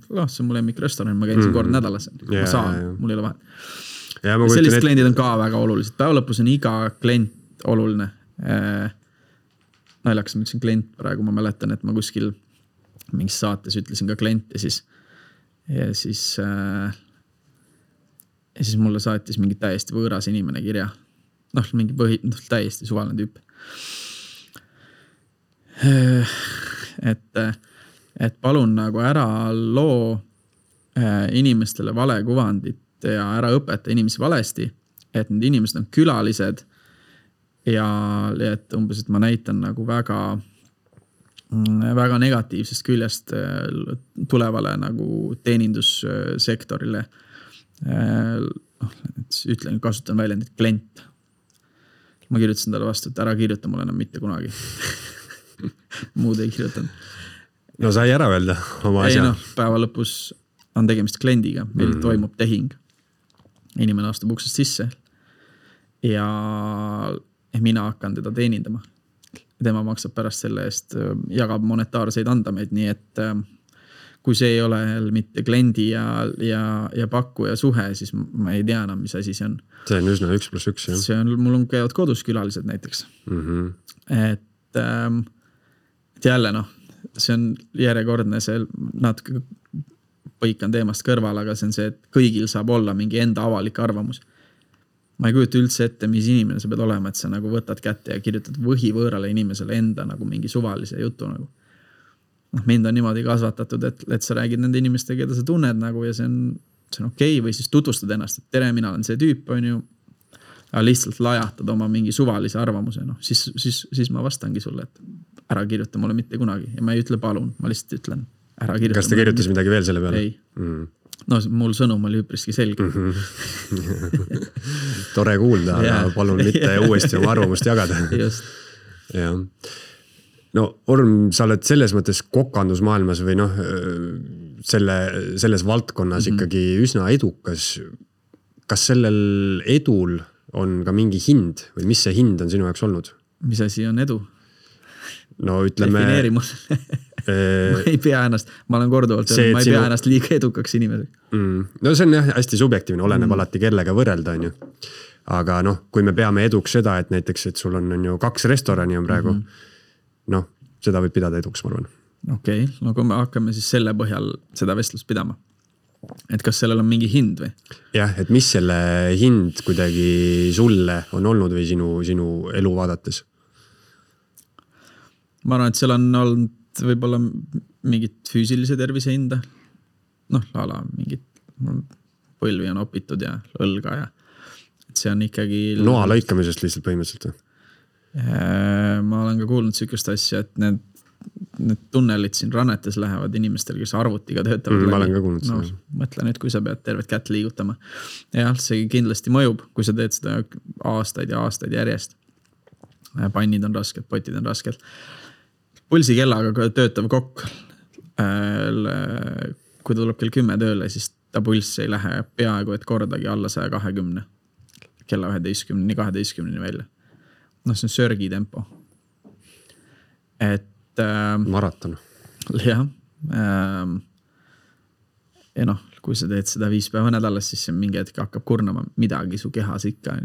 mu lemmikrestoran, ma käin siin kord nädalas. Ma saan, mul ei ole vahet. Sellised kliendid on ka väga olulised. Päeva lõpus on iga klient oluline. Naljakas ma ütlesin klient praegu, ma mäletan, et ma kuskil mingis saates ütlesin ka klient ja siis mulle saatis mingi täiesti võõras inimene kirja. Mingi täiesti suvaline tüüp. Et palun nagu ära loo inimestele vale kuvandit ja ära õpeta inimesi valesti, et need inimesed on külalised ja et umbes, et ma näitan nagu väga negatiivsest küljest tulevale nagu teenindussektorile. Ütlen, kasutan väljendit klient. Ma kirjutasin talle vastu, et ära kirjuta mulle enam mitte kunagi. Muud ei kirjutanud. No sai ära öelda oma asja. Päeva lõpus on tegemist kliendiga. Meil toimub tehing. Inimene astub uksest sisse ja mina hakkan teda teenindama. Tema maksab pärast selle eest, jagab monetaarseid andameid, nii et kui see ei ole mitte kliendi ja pakkuja suhe, siis ma ei tea enam, mis asi see on. See on üsna 1+1, jah. See on, mul on käivad kodus külalised näiteks. Et jälle see on järjekordne, see natuke põikan teemast kõrval, aga see on see, et kõigil saab olla mingi enda avalik arvamus. Ma ei kujuta üldse ette, mis inimene sa pead olema, et sa nagu võtad kätte ja kirjutad võhivõõrale inimesele enda nagu mingi suvalise jutu nagu. Mind on niimoodi kasvatatud, et sa räägid nende inimestega, keda sa tunned nagu ja see on okei, või siis tutvustad ennast, et tere, mina olen see tüüp, on ju. Aga lihtsalt lajatad oma mingi suvalise arvamuse, siis ma vastangi sulle, et ära kirjuta mulle mitte kunagi. Ja ma ei ütle palun, ma lihtsalt ütlen, ära kirjuta. Kas ta kirjutas midagi veel selle peale? Ei. Mul sõnum oli üpriski selge. Tore kuulda, aga palun mitte uuesti oma arvamust jagada. Just. Ja. No Orm, sa oled selles mõttes kokandusmaailmas või selles valdkonnas ikkagi üsna edukas. Kas sellel edul on ka mingi hind või mis see hind on sinu jaoks olnud? Mis asi on edu? No ütleme... Defineeri mul. Ma ei pea ennast, ma olen korduvalt öelnud, ma ei pea ennast liiga edukaks inimeseks. No see on jah hästi subjektiivne, oleneb alati kellega võrrelda, on ju. Aga kui me peame eduks seda, et näiteks, et sul on ju 2 restorani on praegu, seda võib pidada eduks, ma arvan. Okei, kui me hakkame siis selle põhjal seda vestlust pidama. Et kas sellel on mingi hind või? Jah, et mis selle hind kuidagi sulle on olnud või sinu elu vaadates? Ma arvan, et seal on olnud võib-olla mingit füüsilise tervise hinda. Mingit põlvi on opitud ja õlga ja et see on ikkagi... Noa lõikamisest lihtsalt põhimõtteliselt või? Ma olen ka kuulnud sükest asja, et need tunnelid siin rannetes lähevad inimestel, kes arvutiga töötavad. Ma olen ka kuulnud seda. Mõtle nüüd, kui sa pead tervet kätt liigutama. Jah, see kindlasti mõjub, kui sa teed seda aastaid ja aastaid järjest. Pannid on rasked, potid on rasked. Pulsikellaga töötav kokk, kui ta tuleb kell 10 tööle, siis ta pulss ei lähe peaaegu et kordagi alla 120. kella 11-12 välja. Noh, see on sörgi tempo. Et maraton. Jah. Ja noh, kui sa teed seda 5 päeva nädalas, siis see mingi hetk hakkab kurnama midagi su kehas ikka.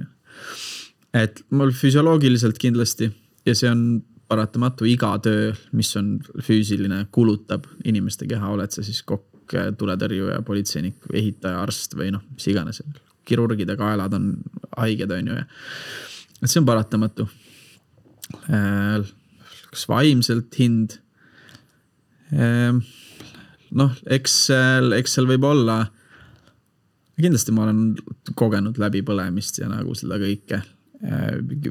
Et mul füsioloogiliselt kindlasti ja see on paratamatu iga töö, mis on füüsiline, kulutab inimeste keha, oled sa siis kokk, tuletõrjuja, politseinik, ehitaja, arst või noh, mis iganes. Kirurgide kaelad on haiged, on ju. Et see on paratamatu. Kas vaimselt hind? Noh, eks seal võib olla, kindlasti ma olen kogenud läbi põlemist ja nagu seda kõike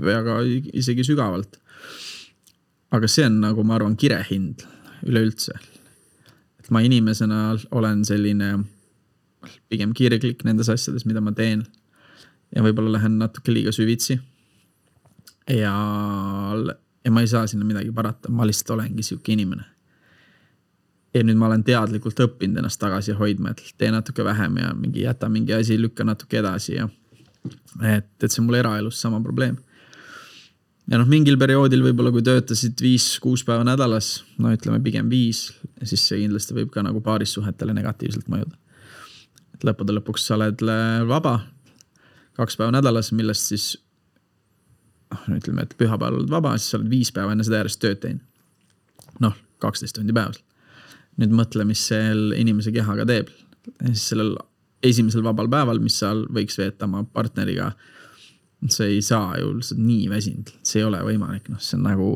väga isegi sügavalt. Aga see on nagu, ma arvan, kirehind üleüldse. Et ma inimesena olen selline pigem kirglik nendes asjades, mida ma teen. Ja võib-olla lähen natuke liiga süvitsi. Ja ma ei saa sinna midagi parata. Ma lihtsalt olengi siuke inimene. Ja nüüd ma olen teadlikult õppinud ennast tagasi hoidma, et tee natuke vähem ja jäta mingi asi, lükka natuke edasi. Ja et see on mul eraelus sama probleem. Ja noh, mingil perioodil võib-olla kui töötasid 5-6 päeva nädalas, no ütleme pigem 5, siis see kindlasti võib ka nagu paarissuhetele negatiivselt mõjuda. Et lõppude lõpuks sa oled vaba 2 päeva nädalas, millest siis, ütleme, et pühapäeval oled vaba, siis sa oled 5 päeva enne seda järjest tööd teinud. Noh, 12 tundi päevas. Nüüd mõtle, mis seal inimese kehaga teeb. Ja siis sellel esimesel vabal päeval, mis sa võiks veeta oma partneriga, see ei saa ju lihtsalt nii väsinud. See ei ole võimalik. No, see on nagu,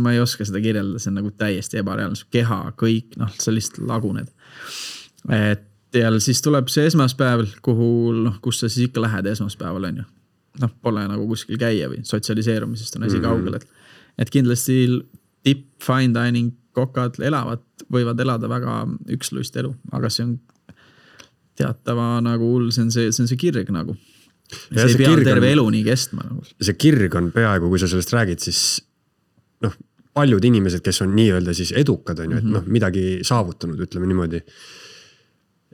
ma ei oska seda kirjeldada, see on nagu täiesti ebareaalne. Su keha, kõik, noh, sa lihtsalt laguned. Et ja siis tuleb see esmaspäev, kus sa siis ikka lähed esmaspäeval, on ju. Noh, pole nagu kuskil käia või sotsialiseerumisest on asi kaugel. Et kindlasti tipp, fine dining, kokad võivad elada väga üksluist elu, aga see on teatava nagu hull, see on see kirg nagu. See ei pea terve elu nii kestma. Nagu. See kirg on peaaegu, kui sa sellest räägid, siis noh, paljud inimesed, kes on nii-öelda siis edukad, on ju, et noh, midagi saavutanud, ütleme niimoodi.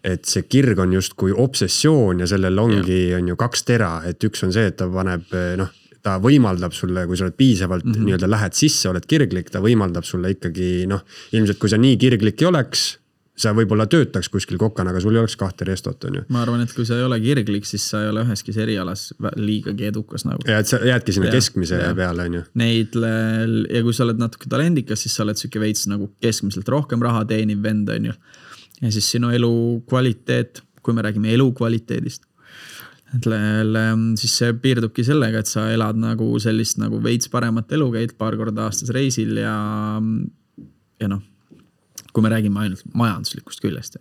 Et see kirg on just kui obsessioon ja sellel ongi on ju 2 tera, et üks on see, et ta paneb, noh, ta võimaldab sulle, kui sa oled piisavalt nii-öelda lähed sisse, oled kirglik, ta võimaldab sulle ikkagi, noh, ilmselt kui sa nii kirglik ei oleks, sa võib-olla töötaks kuskil kokana, aga sul ei oleks 2 restot, on ju. Ma arvan, et kui sa ei ole kirglik, siis sa ei ole üheski erialas liigagi edukas nagu. Ja et sa jäädki sinna keskmise peale, on ju. Ja kui sa oled natuke talendikas, siis sa oled süke veits nagu keskmiselt rohkem raha teeniv vend, on ju. Ja siis sinu elu kvaliteet, kui me räägime elu kvaliteedist, siis see piirdubki sellega, et sa elad nagu sellist nagu veits paremat elu, käid paar korda aastas reisil ja noh, kui me räägime ainult majanduslikust küljest.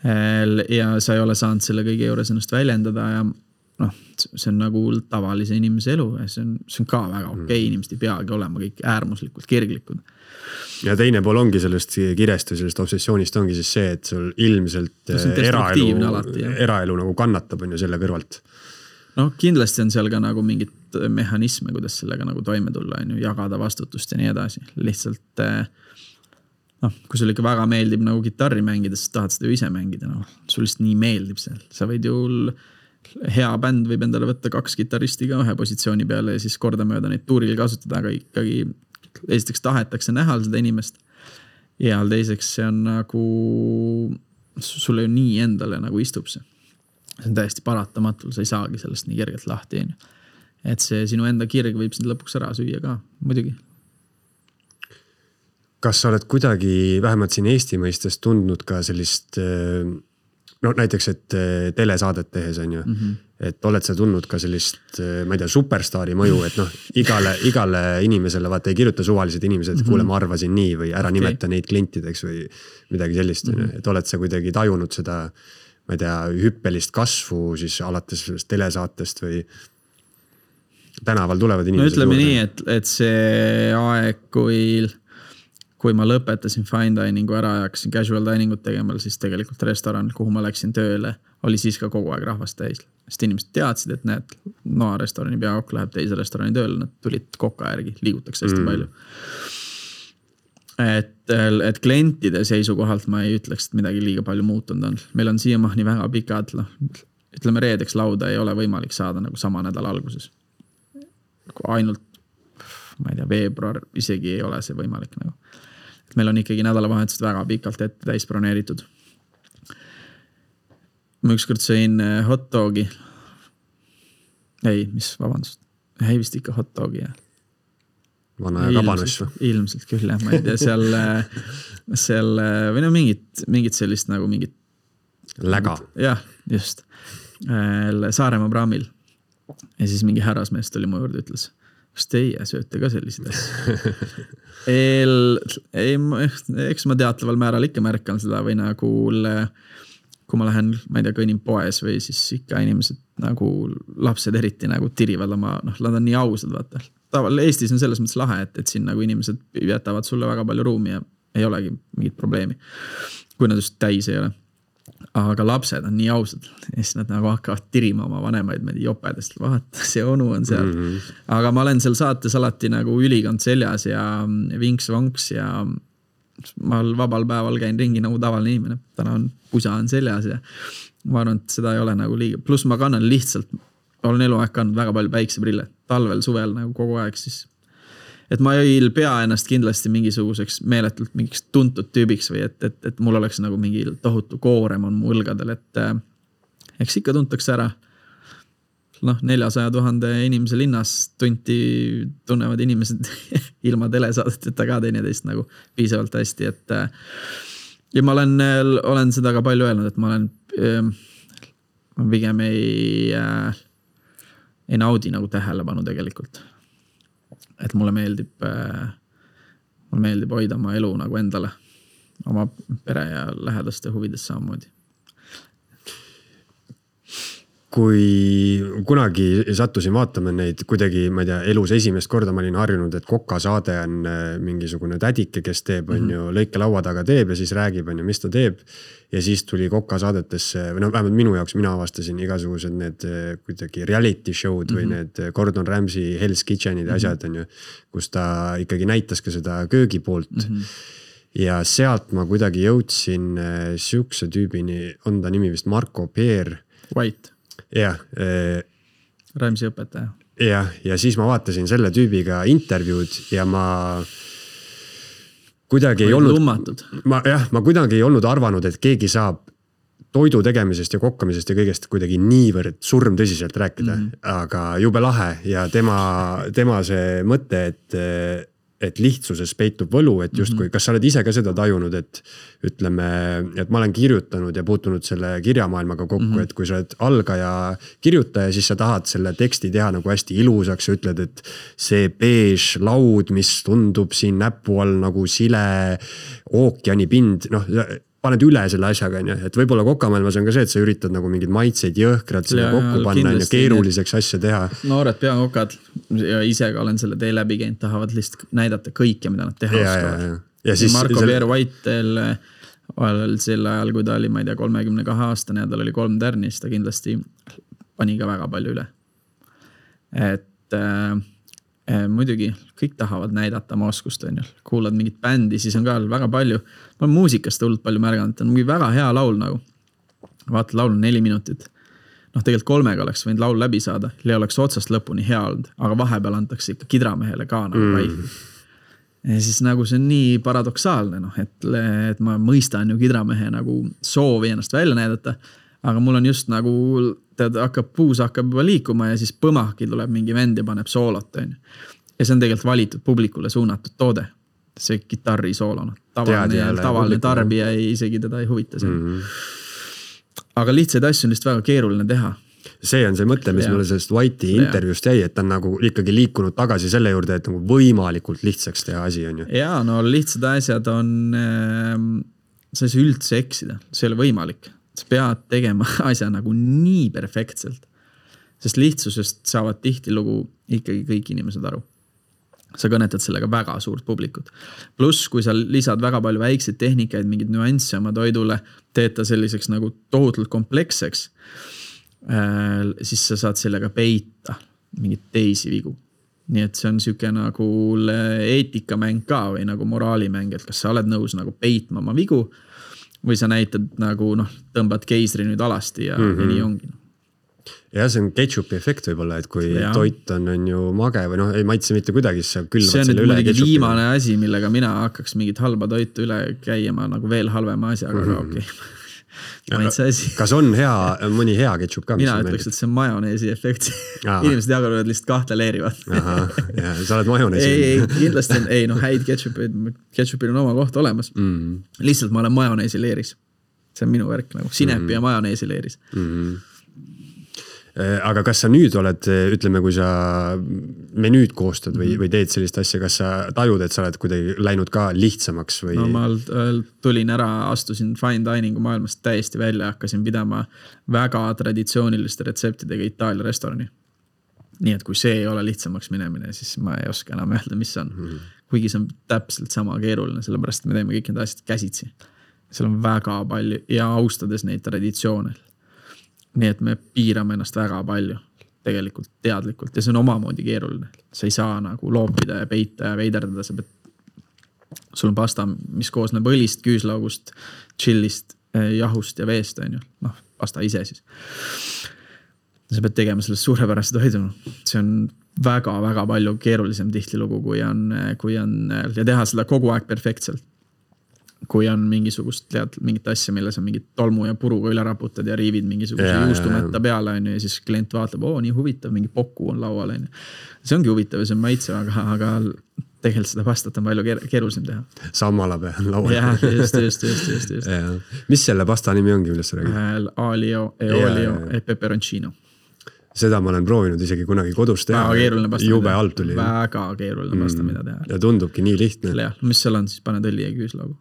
Ja sa ei ole saanud selle kõige juures ennast väljendada ja noh, see on nagu tavalise inimese elu ja see on ka väga okei, inimesed ei peagi olema kõik äärmuslikult kirglikud. Ja teine pool ongi sellest kirest või sellest obsessioonist ongi siis see, et sul ilmselt eraelu nagu kannatab on ju selle kõrvalt. No kindlasti on seal ka nagu mingit mehhanisme, kuidas sellega nagu toime tulla, on ju, jagada vastutust ja nii edasi. Lihtsalt noh, kui sul ikka väga meeldib nagu kitarri mängida, siis tahad seda ju ise mängida. No, sul lihtsalt nii meeldib seal. Sa võid ju, hea bänd võib endale võtta 2 kitaristi ka 1 positsiooni peale ja siis kordamööda neid tuuril kasutada, aga ikkagi esiteks tahetakse näha seda inimest. Ja teiseks see on nagu, sulle ju nii endale nagu istub see. See on täiesti paratamatul, sa ei saagi sellest nii kergelt lahti. Et see sinu enda kirg võib sind lõpuks ära süüa ka, muidugi. Kas sa oled kuidagi vähemalt siin Eesti mõistes tundnud ka sellist, no näiteks, et telesaadet tehes on ju, et oled sa tundnud ka sellist, ma ei tea, superstaari mõju, et noh, igale inimesele vaata ei kirjuta suvalised inimesed, et kuule, ma arvasin nii või ära nimeta neid klientideks või midagi sellist, et oled sa kuidagi tajunud seda, ma ei tea, hüppelist kasvu siis alates sellest telesaatest või tänaval tulevad inimesed. No ütleme nii, et see aeg, kui ma lõpetasin fine diningu ära ja hakkasin casual diningut tegema, siis tegelikult restoranil, kuhu ma läksin tööle, oli siis ka kogu aeg rahvast täis. Sest inimesed teadsid, et näed, Noa restorani peakokk läheb teise restorani tööle, nad tulid koka järgi, liigutakse hästi palju. Et klientide seisukohalt ma ei ütleks, et midagi liiga palju muutunud on. Meil on siiamaani väga pikad ütleme reedeks lauda ei ole võimalik saada nagu sama nädala alguses. Ainult, ma ei tea, veebruar isegi ei ole see võimalik nagu. Et meil on ikkagi nädalavahetused väga pikalt ette täis broneeritud. Ma ükskord sõin hot dogi. Vabandust. Ei vist ikka hot dogi, jah. Vana ja kabanõss või? Ilmselt küll, jah. Ma ei tea, seal või no mingit sellist nagu mingit läga. Jah, just. Saaremaa praamil. Ja siis mingi härrasmees tuli mu juurde ütles, kas teie sööte ka sellised asja? Eks ma teataval määral ikka märkan seda või nagu kui ma lähen, ma ei tea, kõinin poes või siis ikka inimesed nagu lapsed eriti nagu tirivad oma, nad on nii ausad, vaata. Eestis on selles mõttes lahe, et siin nagu inimesed jätavad sulle väga palju ruumi ja ei olegi mingit probleemi, kui nad just täis ei ole. Aga lapsed on nii ausad ja siis nad nagu hakkavad tirima oma vanemaid jopedest, vaata, see onu on seal. Aga ma olen seal saates alati nagu ülikond seljas ja vinks-vonks ja ma vabal päeval käin ringi nagu tavaline inimene. Täna on pusa on seljas ja ma arvan, et seda ei ole nagu liiga. Plus ma kannan lihtsalt, olen eluaeg kandnud väga palju päikseprille. Talvel, suvel nagu kogu aeg siis. Et ma ei pea ennast kindlasti mingisuguseks meeletult mingiks tuntud tüübiks või et mul oleks nagu mingi tohutu koorem on mu õlgadel, et eks ikka tuntakse ära 400,000 inimese linnas tunnevad inimesed ilma telesaadeteta ka teineteist nagu piisavalt hästi, et ja ma olen seda ka palju öelnud, et ma pigem ei naudi nagu tähelepanu tegelikult. Et mulle meeldib hoida oma elu nagu endale, oma pere ja lähedaste huvides samamoodi. Kui kunagi sattusin vaatama neid kuidagi, ma ei tea, elus esimest korda ma olin harjunud, et Koka saade on mingisugune tädike, kes teeb, on ju, lõike laua taga teeb ja siis räägib, on ju, mis ta teeb. Ja siis tuli Koka saadetesse, või vähemalt minu jaoks, mina avastasin igasugused need kuidagi reality show'd või need Gordon Ramsay Hell's Kitchenid asjad, on ju, kus ta ikkagi näitas ka seda köögi poolt. Ja sealt ma kuidagi jõudsin siukse tüübini, on ta nimi vist Marko Peer. White. Jah. Ramsay õpetaja. Jah, ja siis ma vaatasin selle tüübiga intervjuud ja ma kuidagi ei olnud, ma kuidagi ei olnud arvanud, et keegi saab toidu tegemisest ja kokkamisest ja kõigest kuidagi niivõrd surm tõsiselt rääkida, aga jube lahe ja tema see mõte, et lihtsuses peitub võlu, et justkui, kas sa oled ise ka seda tajunud, et ütleme, et ma olen kirjutanud ja puutunud selle kirjamaailmaga kokku, et kui sa oled algaja kirjutaja, siis sa tahad selle teksti teha nagu hästi ilusaks ja ütled, et see beež laud, mis tundub siin näpu all nagu sile ookeani pind, paned üle selle asjaga, et võib-olla kokamaailmas on ka see, et sa üritad nagu mingid maitseid jõhkrad selle kokku panna ja keeruliseks asja teha. Noored peakokad ja ise ka olen selle tee läbi käinud, tahavad lihtsalt näidata kõike, mida nad teha oskavad. Marko Peer Whitel sel ajal, kui ta oli, ma ei tea, 32 aastane ja tal oli 3 tärni, siis ta kindlasti pani ka väga palju üle. Et muidugi kõik tahavad näidata oma oskust, on ju. Kuulad mingit bändi, siis on ka väga palju. Ma olen muusikast hullult palju märganud, et on mingi väga hea laul nagu. Vaata, laul on 4 minutit. Tegelikult 3 oleks võinud laul läbi saada. Ei oleks otsast lõpuni hea olnud, aga vahepeal antakse ikka kidramehele ka nagu vaiku. Ja siis nagu see on nii paradoksaalne, et ma mõistan ju kidramehe nagu soovi ennast välja näidata, aga mul on just nagu puus hakkab juba liikuma ja siis põmahki tuleb mingi vend ja paneb soolot. Ja see on tegelikult valitud publikule suunatud toode. See kitarri soolona. Tavaline tarbija isegi teda ei huvita see. Aga lihtsaid asju on lihtsalt väga keeruline teha. See on see mõte, mis mulle sellest White'i intervjuust jäi, et ta on nagu ikkagi liikunud tagasi selle juurde, et nagu võimalikult lihtsaks teha asi on ju. Jaa, lihtsad asjad on, sa ei saa üldse eksida, see ei ole võimalik. Sa pead tegema asja nagu nii perfektselt, sest lihtsusest saavad tihtilugu ikkagi kõik inimesed aru. Sa kõnetad sellega väga suurt publikut. Plus, kui sa lisad väga palju väikseid tehnikaid, mingid nüansse oma toidule, teed ta selliseks nagu tohutult kompleksseks, siis sa saad sellega peita mingid teisi vigu. Nii et see on siuke nagu eetikamäng ka või nagu moraalimäng, et kas sa oled nõus nagu peitma oma vigu või sa näitad nagu tõmbad keisri nüüd alasti ja nii ongi. ja see on ketšupi efekt võib-olla, et kui toit on ju mage või ei maitse mitte kuidagi, siis sa külvad selle üle. See on nüüd muidugi viimane asi, millega mina hakkaks mingit halba toitu üle käima nagu veel halvema asi, aga okei. Maitse asi. Kas on mõni hea ketšup ka? Mina ütleks, et see on majoneesi efekt. Inimesed jagavad lihtsalt kahte leerivad. Ja sa oled majoneesi. Ei, kindlasti on, häid ketšupil on oma koht olemas. Lihtsalt ma olen majoneesi leeris. See on minu värk nagu sinepi ja majoneesi leeris. Aga kas sa nüüd oled, ütleme, kui sa menüüd koostad või teed sellist asja, kas sa tajud, et sa oled kuidagi läinud ka lihtsamaks? Või... No ma tulin ära, astusin fine diningu maailmast täiesti välja, hakkasin pidama väga traditsiooniliste retseptidega Itaalia restorani. Nii et kui see ei ole lihtsamaks minemine, siis ma ei oska enam öelda, mis on. Kuigi see on täpselt sama keeruline, sellepärast me teeme kõik need asjad käsitsi. Seal on väga palju ja austades neid traditsioone. Nii et me piirame ennast väga palju tegelikult teadlikult ja see on omamoodi keeruline. Sa ei saa nagu loopida ja peita ja veiderdada. Sul on pasta, mis koosneb õlist, küüslaugust, chillist, jahust ja veest. Pasta ise siis. Sa pead tegema sellest suurepärast toidu. See on väga-väga palju keerulisem tihtilugu, kui on ja teha seda kogu aeg perfektselt. Kui on mingisugust, mingit asja, mille sa mingit tolmu ja puruga üle raputad ja riivid mingisuguse juustumetta peale ja siis klient vaatab, nii huvitav, mingi poku on laual. See ongi huvitav ja see on maitse, aga tegelikult seda pastat on palju keerulisem teha. Sammalabe on laual. Jah, just. Mis selle pasta nimi ongi, millest sa räägid? Alio e olio e peperoncino. Seda ma olen proovinud isegi kunagi kodus teha. Väga keeruline pasta. Jube alt tuli. Väga keeruline pasta, mida teha. Ja tundubki nii lihtne. Ja, mis seal on, siis paned õli ja küüslaugu.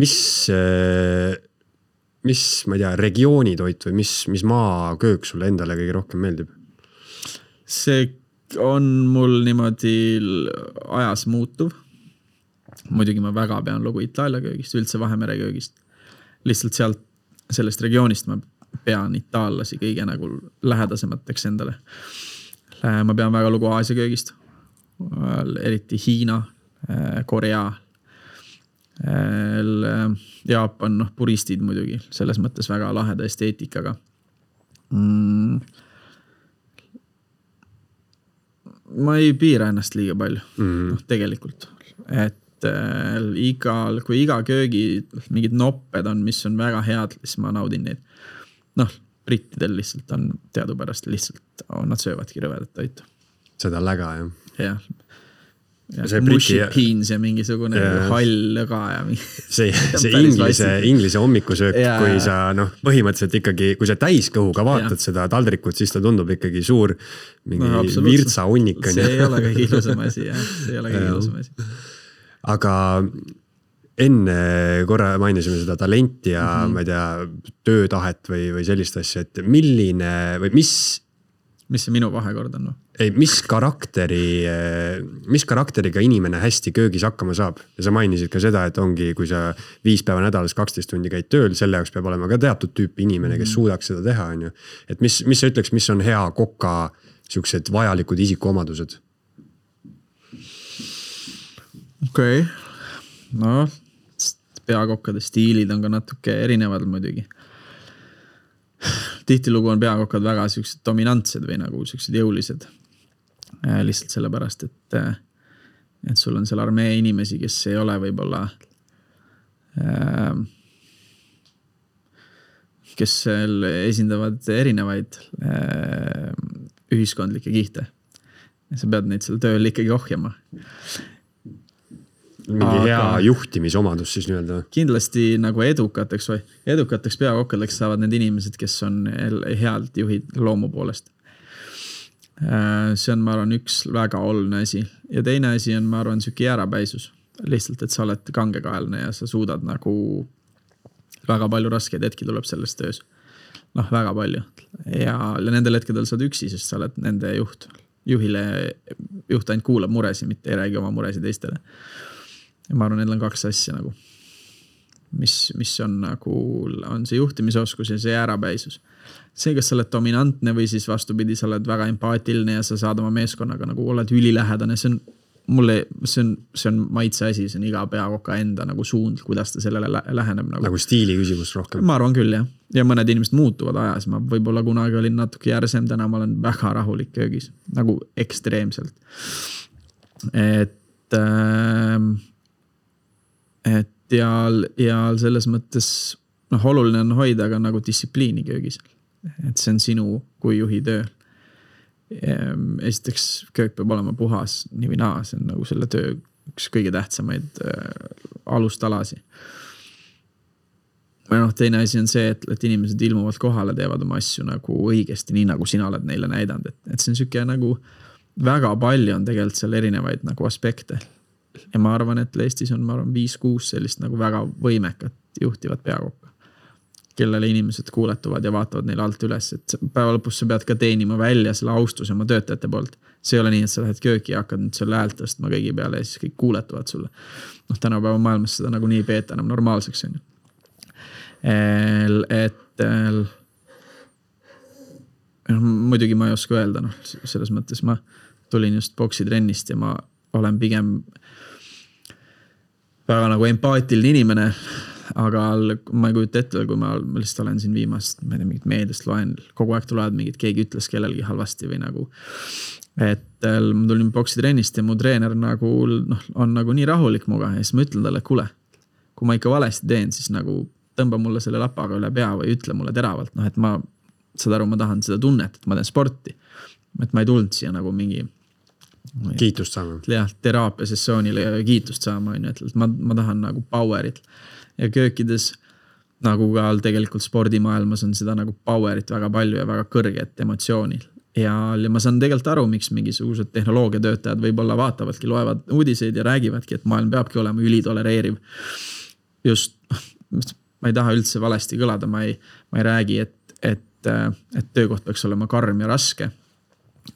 Mis, ma ei tea, regioonitoit või mis maaköök sulle endale kõige rohkem meeldib? See on mul niimoodi ajas muutuv. Muidugi ma väga pean lugu Itaalia köögist, üldse Vahemere köögist. Lihtsalt sellest regioonist ma pean itaallasi kõige nagu lähedasemateks endale. Ma pean väga lugu Aasia köögist, eriti Hiina, Korea, Jaapan, puristid muidugi, selles mõttes väga laheda esteetikaga. Ma ei piira ennast liiga palju, tegelikult, et kui iga köögi mingid nopped on, mis on väga head, siis ma naudin neid. Brittidel lihtsalt on teadupärast lihtsalt, nad söövadki rõvedat toitu. Seda läga, jah. Ja mushi beans ja mingisugune hall lõga ja see inglise hommikusöök, kui sa põhimõtteliselt ikkagi, kui sa täiskõhuga vaatad seda taldrikut, siis ta tundub ikkagi suur mingi virtsa hunnik. See ei ole kõige ilusam asi, jah. See ei ole kõige ilusam asi. Aga enne korra mainisime seda talenti ja ma ei tea, töötahet või sellist asja, et milline või mis see minu vahekord on? Mis karakteriga inimene hästi köögis hakkama saab? Ja sa mainisid ka seda, et ongi, kui sa 5 päeva nädalas 12 tundi käid tööl, selle jaoks peab olema ka teatud tüüpi inimene, kes suudaks seda teha. Et mis sa ütleks, mis on hea koka siuksed vajalikud isikuomadused? Okei. Peakokkade stiilid on ka natuke erinevad muidugi. Tihtilugu on peakokkad väga siuksed dominantsed või nagu siuksed jõulised. Lihtsalt sellepärast, et sul on seal armee inimesi, kes ei ole võib-olla kes esindavad erinevaid ühiskondlikke kihte. Ja sa pead neid seal tööl ikkagi ohjama. Mingi hea juhtimisomadus siis nii-öelda. Kindlasti nagu edukateks peakokkadeks saavad need inimesed, kes on healt juhid loomu poolest. See on, ma arvan, üks väga oluline asi. Ja teine asi on, ma arvan, süki jäärapäisus. Lihtsalt, et sa oled kangekaelne ja sa suudad nagu väga palju raskeid hetki tuleb sellest töös. Väga palju. Ja nendel hetkedel sa oled üksi, sest sa oled nende juht. Juht ainult kuulab muresi, mitte ei räägi oma muresi teistele. Ja ma arvan, neil on 2 asja nagu, mis on nagu, on see juhtimisoskus ja see jäärapäisus. See, kas sa oled dominantne või siis vastupidi, sa oled väga empaatiline ja sa saad oma meeskonnaga nagu oled ülilähedane, see on mulle see on maitse asi, see on iga peakoka enda nagu suund, kuidas ta sellele läheneb. Nagu stiili küsimus rohkem. Ma arvan küll, jah. Ja mõned inimesed muutuvad ajas. Ma võib-olla kunagi olin natuke järsem, täna ma olen väga rahulik köögis. Nagu ekstreemselt. Ja selles mõttes oluline on hoida ka nagu distsipliini köögis. Et see on sinu kui juhi töö. Esiteks köök peab olema puhas nii või naa, see on nagu selle töö üks kõige tähtsamaid alustalasi. Teine asi on see, et inimesed ilmuvalt kohale teevad oma asju nagu õigesti, nii nagu sina oled neile näidanud, et see on siuke nagu väga palju on tegelikult seal erinevaid nagu aspekte. Ja ma arvan, et Eestis on 5-6 sellist nagu väga võimekat juhtivat peakokka, kellele inimesed kuuletuvad ja vaatavad neile alt üles, et päeva lõpus sa pead ka teenima välja selle austuse oma töötajate poolt. See ei ole nii, et sa lähed kööki ja hakkad nüüd selle häält tõstma kõigi peale ja siis kõik kuuletuvad sulle. Tänapäeva maailmas seda nagu nii peeta enam normaalseks on ju. Muidugi ma ei oska öelda, selles mõttes ma tulin just boksitrennist ja ma olen pigem väga nagu empaatiline inimene, aga ma ei kujuta ette, kui ma lihtsalt olen siin viimast, ma ei tea, mingit meediast loen, kogu aeg tulevad mingid, keegi ütles kellelgi halvasti või nagu, et ma tulin boksitrennist ja mu treener nagu, on nagu nii rahulik muga ja siis ma ütlen talle, kuule, kui ma ikka valesti teen, siis nagu tõmba mulle selle lapaga üle pea või ütle mulle teravalt, et ma, saad aru, ma tahan seda tunnet, et ma teen sporti, et ma ei tulnud siia nagu mingi kiitust saama. Jah, teraapia sessioonile kiitust saama, et ma tahan nagu powerit. Ja köökides, nagu ka tegelikult spordimaailmas on seda nagu powerit väga palju ja väga kõrget emotsioonil. Ja ma saan tegelikult aru, miks mingisugused tehnoloogiatöötajad võib-olla vaatavadki, loevad uudiseid ja räägivadki, et maailm peabki olema ülitolereeriv. Just, ma ei taha üldse valesti kõlada, ma ei räägi, et töökoht peaks olema karm ja raske.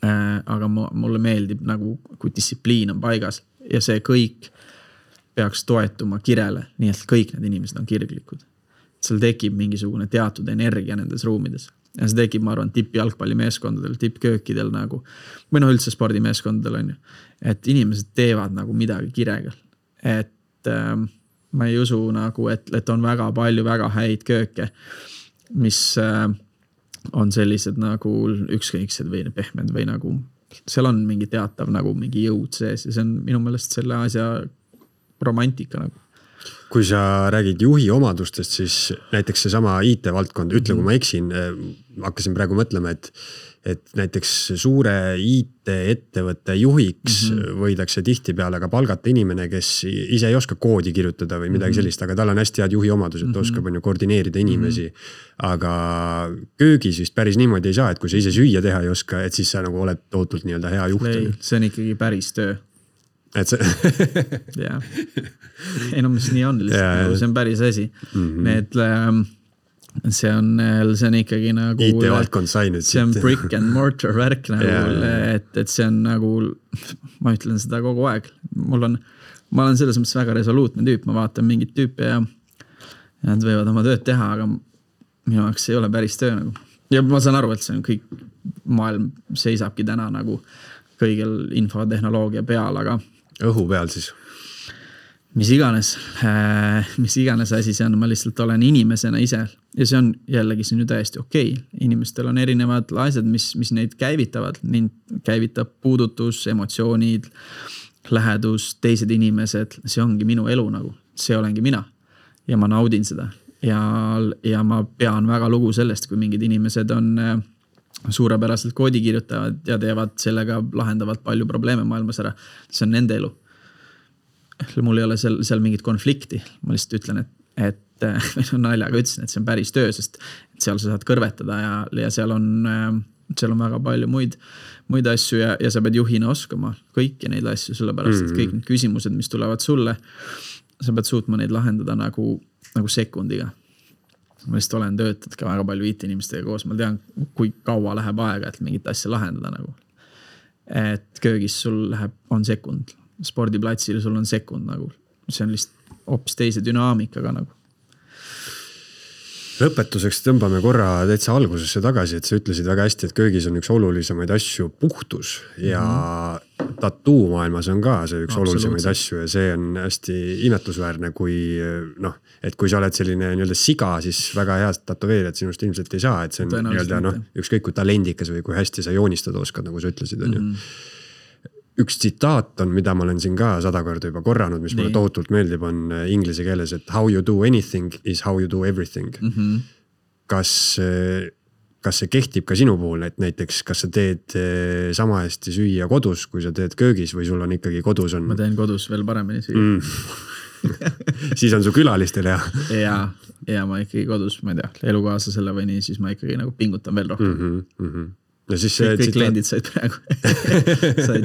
Aga mulle meeldib nagu, kui distsipliin on paigas ja see kõik peaks toetuma kirele, nii et kõik need inimesed on kirglikud. Seal tekib mingisugune teatud energia nendes ruumides. Ja see tekib, ma arvan, tippjalgpallimeeskondadel, tippköökidel nagu, või üldse spordimeeskondadel on ju, et inimesed teevad nagu midagi kirega. Et ma ei usu nagu, et on väga palju väga häid kööke, mis on sellised nagu ükskõiksed või pehmed või nagu, seal on mingi teatav nagu mingi jõud sees ja see on minu meelest selle asja romantika nagu. Kui sa räägid juhi omadustest, siis näiteks see sama IT-valdkond, ütle kui ma eksin, hakkasin praegu mõtlema, et näiteks suure IT-ettevõtte juhiks võidakse tihti peale ka palgata inimene, kes ise ei oska koodi kirjutada või midagi sellist, aga tal on hästi head juhi omadused, ta oskab koordineerida inimesi. Aga köögis vist päris niimoodi ei saa, et kui sa ise süüa teha ei oska, et siis sa nagu oled tootult nii-öelda hea juht. See on ikkagi päris töö. Et see... Jaa. Ei no mis nii on lihtsalt, see on päris asi. Need... See on ikkagi nagu IT-valdkond sai nüüd see on brick and mortar värk nagu, et see on nagu ma ütlen seda kogu aeg ma olen selles mõttes väga resoluutne tüüp, ma vaatan mingit tüüpi ja nad võivad oma tööd teha, aga minu jaoks ei ole päris töö nagu. Ja ma saan aru, et see on kõik maailm seisabki täna nagu kõigil infotehnoloogia peal, aga õhu peal siis mis iganes asi see on, ma lihtsalt olen inimesena ise ja see on jällegi see on ju täiesti okei. Inimestel on erinevad asjad, mis neid käivitavad. Mind käivitab puudutus, emotsioonid, lähedus, teised inimesed. See ongi minu elu nagu. See olengi mina ja ma naudin seda. Ja ma pean väga lugu sellest, kui mingid inimesed on suurepäraselt koodi kirjutavad ja teevad sellega, lahendavad palju probleeme maailmas ära. See on nende elu. Mul ei ole seal mingit konflikti. Ma lihtsalt ütlen, et naljaga ütlesin, et see on päris töö, sest seal sa saad kõrvetada ja seal on väga palju muid asju ja sa pead juhina oskama kõiki neid asju, sellepärast, et kõik need küsimused, mis tulevad sulle, sa pead suutma neid lahendada nagu sekundiga. Ma lihtsalt olen töötanud ka väga palju IT-inimestega koos, ma tean, kui kaua läheb aega, et mingit asja lahendada nagu. Et köögis sul on sekund. Spordiplatsil sul on sekund nagu, see on lihtsalt hoopis teise dünaamikaga nagu. Lõpetuseks tõmbame korra täitsa algusesse tagasi, et sa ütlesid väga hästi, et köögis on üks olulisemaid asju puhtus ja tattoo maailmas on ka see üks olulisemaid Absoluutselt. asju ja see on hästi imetlusväärne, kui noh, et kui sa oled selline nii-öelda siga, siis väga head tatoveerijad sinust ilmselt ei saa, et see on nii-öelda noh, ükskõik kui talendikas või kui hästi sa joonistada oskad, nagu sa ütlesid, on ju. Üks tsitaat on, mida ma olen siin ka 100 korda juba korranud, mis mulle tohutult meeldib, on inglise keeles, et how you do anything is how you do everything. Kas see kehtib ka sinu puhul, et näiteks kas sa teed sama hästi süüa kodus, kui sa teed köögis või sul on ikkagi kodus on... Ma teen kodus veel paremini süüa. Siis on su külalistel hea. Ja ma ikkagi kodus, ma ei tea, elukaaslasele või nii, siis ma ikkagi nagu pingutan veel rohkem. Ja siis kõik kliendid said praegu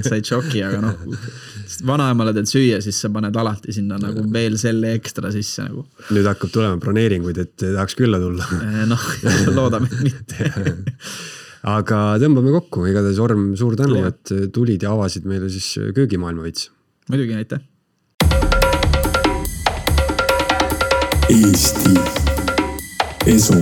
said šoki, aga noh, vanaemale teed süüa, siis sa paned alati sinna nagu veel selle ekstra sisse nagu. Nüüd hakkab tulema broneeringuid, et tahaks külla tulla. Noh, loodame mitte. Aga tõmbame kokku, igatahes Orm, suur tänu, et tulid ja avasid meile siis köögimaailma veits. Muidugi, aitäh. Eesti Esu.